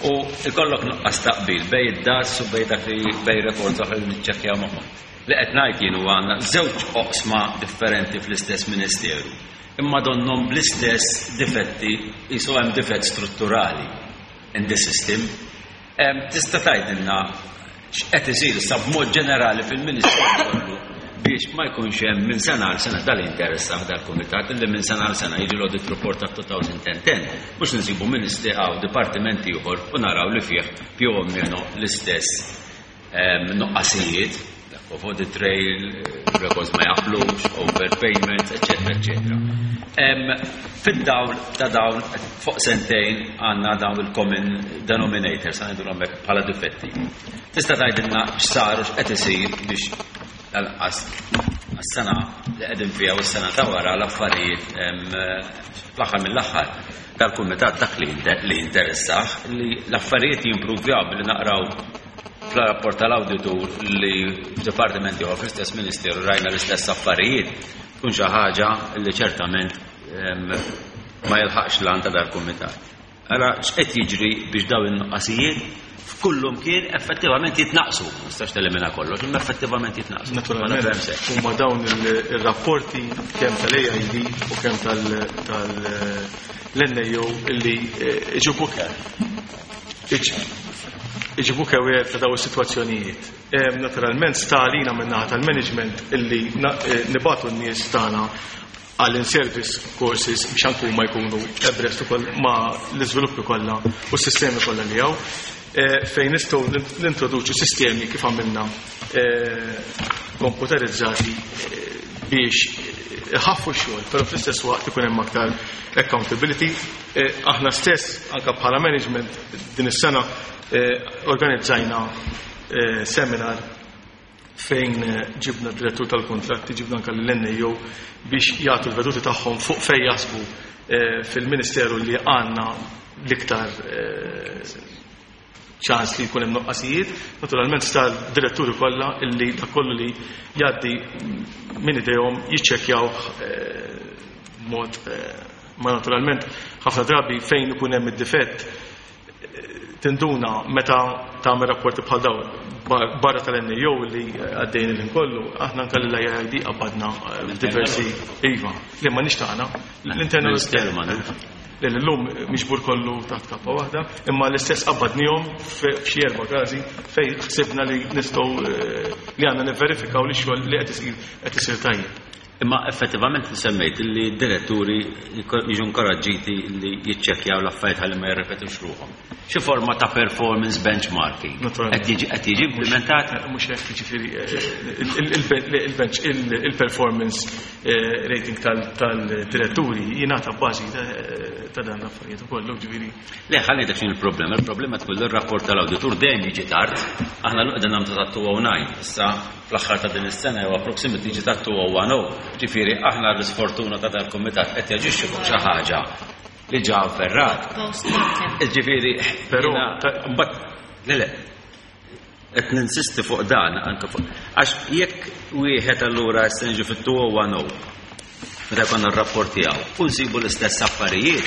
U ikollok nuqqas taqbil bej id-DAS u bej dak li bej records oħra li niċċekkjaw magħhom. Li qed ngħid jien huwa għandna żewġ oqsma differenti fl-istess ministeru. Imma donnhom bl-istess difetti qisu hemm difett strutturali in the system. Tista' tgħidilna x'qed isir issa b'mod ġenerali fil-Ministeru kollu biex ma jkunx hemm minn sena għal sena dal-interess dal-kumitat illi minn sena għal sena jiġi l-audit report ta' 2010 mhux nsibu ministri għaw dipartimenti ieħor u naraw li fih più o meno l-istess nuqqasijiet, lack of audit trail, records ma jaqblux, overpayments, eccetera, eccetera. Fid-dawl ta' dawn fuq sentejn għandna dawn il-common denominators, għandhom hekk bħala difetti. Tista' tgħidilna x'sar u x'qed isir biex tal-qas għas-sena li qegħdin fiha u s-sena ta' wara l-affarijiet fl-aħħar mill-aħħar dal-kumitat dak li interessah li l-affarijiet jimpruvjaw billi naqraw fl-rapport tal-awditur li f'dipartimenti oħra fl-istess ministeru rajna l-istess affarijiet tkun xi ħaġa li ċertament ma jilħaqx l ta' dal-kumitat. Ara x'qed jiġri biex dawn in-nuqqasijiet f'kullum kien effettivament jitnaqsu. Ma nistax telimina kollox, imma effettivament jitnaqsu. Naturalment, huma dawn ir-rapporti kemm tal-AID u kemm tal-NAO illi iġibuk iġibuk aware ta' dawn is-sitwazzjonijiet. Naturalment sta għalina min-naħa tal-management illi nibagħtu n-nies tagħna għal in-service courses biex anke huma jkunu abreast ukoll ma' l-iżviluppi kollha u s-sistemi kollha li hawn fejn nistgħu nintroduċu sistemi kif għamilna komputerizzati biex iħaffu x-xogħol, però fl-istess waqt ikun hemm aktar accountability. Aħna stess anke bħala management din is-sena organizzajna seminar fejn ġibna direttur tal-kontratti, ġibna anke l-NAO biex jagħtu l-veduti tagħhom fuq fejn jaħsbu fil-Ministeru li għandna l-iktar ċans li jkun hemm nuqqasijiet. Naturalment sta diretturi kollha illi dak kollu li jgħaddi minn idejhom jiċċekkjaw mod ma naturalment ħafna drabi fejn ikun hemm id-difett tinduna meta tagħmel rapporti bħal dawn barra tal-NAO li għaddejn il kollu, aħna anke l-IID qabbadna diversi iva, li ma nixtaqna l-internal li l-lum miġbur kollu taħt kappa waħda, imma l-istess qabbadnihom f'xi erba' każi fejn ħsibna li nistgħu li għandna nivverifikaw li x-xogħol li qed isir tajjeb. Imma effettivament semmejt li d-diretturi jiġu inkoraġġiti li jiċċekkjaw l-affarijiet ħalli ma jirrepetux ruħhom. Xi forma ta' performance benchmarking qed jiġi implementat? Mhux hekk, jiġifieri il-bench il-performance rating tal-diretturi jingħata bbażi ta' dan l-affarijiet ukoll, ġifieri. Le, ħalli dak x'inhi l-problema. Il-problema tkun li r-rapport tal-awditur dejjem jiġi tard. Aħna l qegħdin nagħmlu ta' 209 issa fl-aħħar ta' din is-sena jew approximately jiġi ta' 2010. Ġifieri aħna l-isfortuna ta' dal-kumitat qed jaġixxi fuq xi ħaġa li ġa avverrat. Ġifieri, Però mbagħad le le qed ninsisti fuq dan anke fuq għax jekk wieħed allura issa niġu fit-2010 meta jkollna r-rapport tiegħu u nsibu l-istess affarijiet,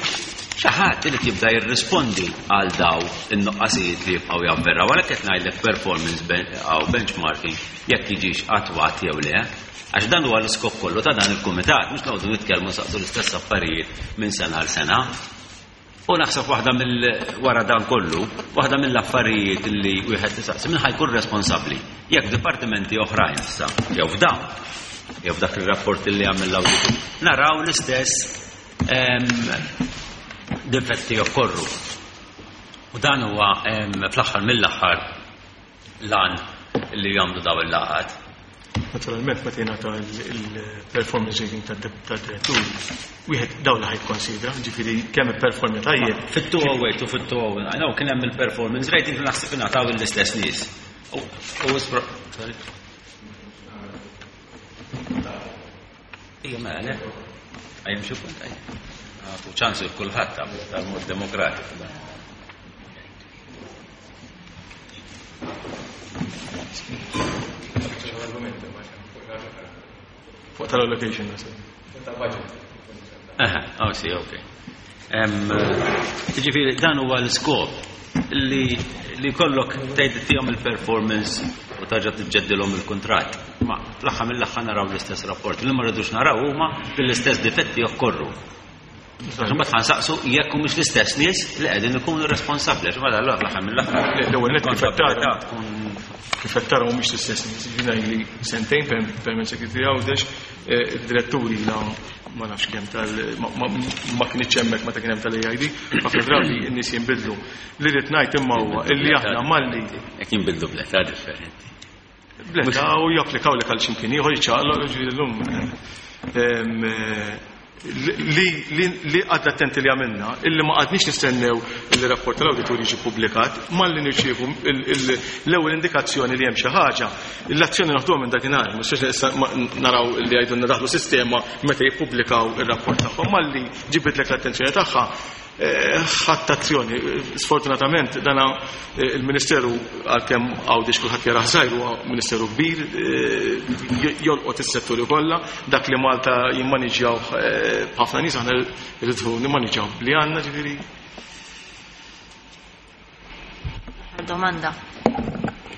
xi ħadd irid jibda jirrispondi għal daw in-nuqqasijiet li jibqgħu javverraw. Għalhekk qed ngħidlek performance għaw benchmarking jekk jiġix attwat jew le. Għax dan huwa l-iskop kollu ta' dan il-kumitat, mhux noqogħdu nitkellmu saqsu l-istess affarijiet minn sena għal sena. U naħseb waħda mill wara dan kollu, waħda mill-affarijiet li wieħed tisaqsi min ħajkun responsabbli jekk dipartimenti oħrajn issa, jew f'dawn, jew f'dak ir-rapport li għamel l-awditur, naraw l-istess difetti jokkorru. U dan huwa fl-aħħar mill-aħħar lan li jagħmlu daw il-laqgħat. Naturalment meta jingħata il-performance rating tad-diretturi, wieħed dawn li ħa jikkonsidra, ġifieri kemm ipperformja tajjeb. Fit-208 u fit-209 no, kien hemm il-performance rating li naħseb ingħataw l-istess nies. U sorry. Ija mela le. Għajem xi punt għaj. Għatu ċans il kulħadd tal-mod demokratiku dan. Fuq tal-allocation, nasib. Aha, oh, si, ok. Ġifieri, dan huwa l-iskop li li kollok tgħid tihom il-performance u tarġa' tiġġeddilhom il-kuntratt. Ma fl-aħħar mill-aħħar naraw l-istess rapport. Li ma rridux naraw huma li l-istess difetti jokkorru. Għax imbagħad ħa nsaqsu jekk humiex l-istess nies li qegħdin ikunu responsabbli għax imbagħad allura fl-aħħar mill-aħħar. L-ewwel nett kif qed tara kif qed tara mhumiex l-istess nies. Jiena ili sentejn permanent secretary Għawdex, id-diretturi ilha ma nafx kemm tal ma kinitx hemmhekk meta kien hemm tal-AID, ħafna drabi n-nies jinbidlu. Li rrid ngħid imma huwa illi aħna malli Jekk jinbidlu bl-età differenti. Bl-età u japplikaw lek għal x'imkien ieħor jiċċaqlaq ġifieri llum li li għadna attenti li għamilna, illi ma qgħadniex nistennew li rapport tal-awditur jiġi ppubblikat, malli nirċievu l-ewwel indikazzjoni li hemm xi ħaġa, l-azzjoni naħduha minn dakinhar, mhux issa naraw li jgħidulna daħlu sistema meta jippubblikaw ir-rapport tagħhom, malli ġibitlek l-attenzjoni tagħha, ħadt azzjoni. Sfortunatament dana il-Ministeru għalkemm Għawdex kulħadd jarah żgħir huwa Ministeru kbir, jolqot is-setturi kollha, dak li Malta jimmaniġġjaw b'ħafna nies aħna rridu nimmaniġġjaw b'li għandna ġifieri. Domanda.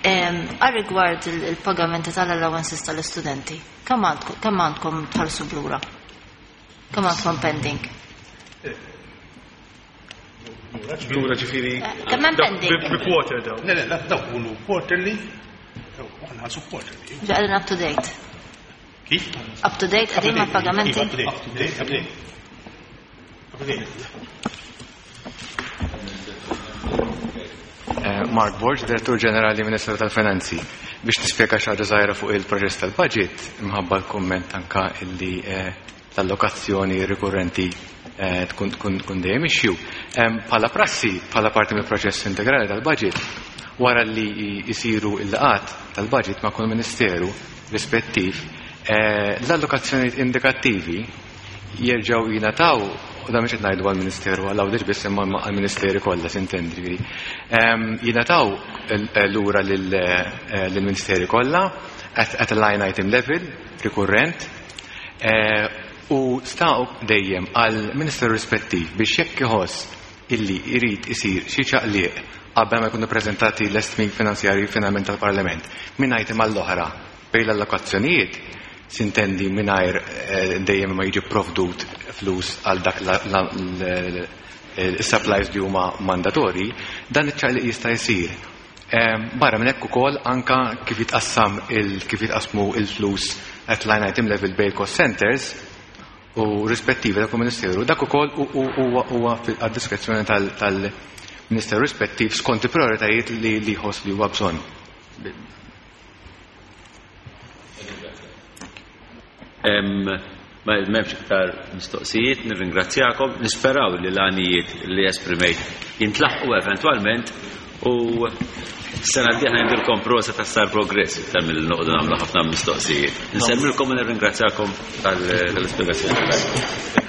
Għal rigward il-pagamenti tal-allowances tal-istudenti, kemm għandkom tħallsu blura? Kemm għandkom pending? Lura ġifieri. Kemm hemm pending? Bi quarter daw. Le, le, dawk ikunu quarterly, aħna nħallsu quarterly. Qegħdin up to date. Kif? Up to date qegħdin mal-pagamenti? Up to date, up to date, up to date. Up to date. Mark Borg, Direttur Ġenerali Ministeru tal-Finanzi. Biex nispjega xi ħaġa żgħira fuq il-proċess tal-budget, imħabba l-kumment anka illi l-allokazzjoni rikurrenti tkun tkun tkun dejjem issue. Bħala prassi, bħala parti mill-proċess integrali tal-budget, wara li jsiru l-laqgħat tal-budget ma' kull ministeru rispettiv, l-allokazzjonijiet indikattivi jerġgħu jingħataw, u dan mhux qed ngħidu għall-Ministeru għal Għawdex biss imma għall-Ministeri kollha s'intendi ġifieri, jingħataw lura lill-Ministeri kollha at a line item level rikurrent u sta dejjem għall-Ministeru rispettiv biex jekk iħoss illi jrid isir xi ċaqliq qabel ma jkunu ppreżentati l-estimi finanzjarji finalment tal-Parlament minn item għall-oħra bejn l-allokazzjonijiet, sintendi mingħajr dejjem ma jiġi pprovdut flus għal dak is-supplies li huma mandatorji, dan iċ-ċaqliq jista' jsir. Barra minn hekk ukoll anka kif jitqassam kif jitqassmu l-flus at line item level bejn cost centers u rispettivi ta' kull ministeru, dak ukoll huwa għad-diskrezzjoni tal-ministeru rispettiv skont il-prioritajiet li jħoss li huwa bżonn. Ma m'hemmx iktar mistoqsijiet, nirringrazzjakom, nisperaw li l-għanijiet li esprimejt jintlaħqu eventwalment u sena d-dieħla ngħidilkom prosa ta' sar progress iktar milli noqogħdu nagħmlu ħafna mistoqsijiet. Nsemmilkom u nirringrazzjakom tal-ispjegazzjoni.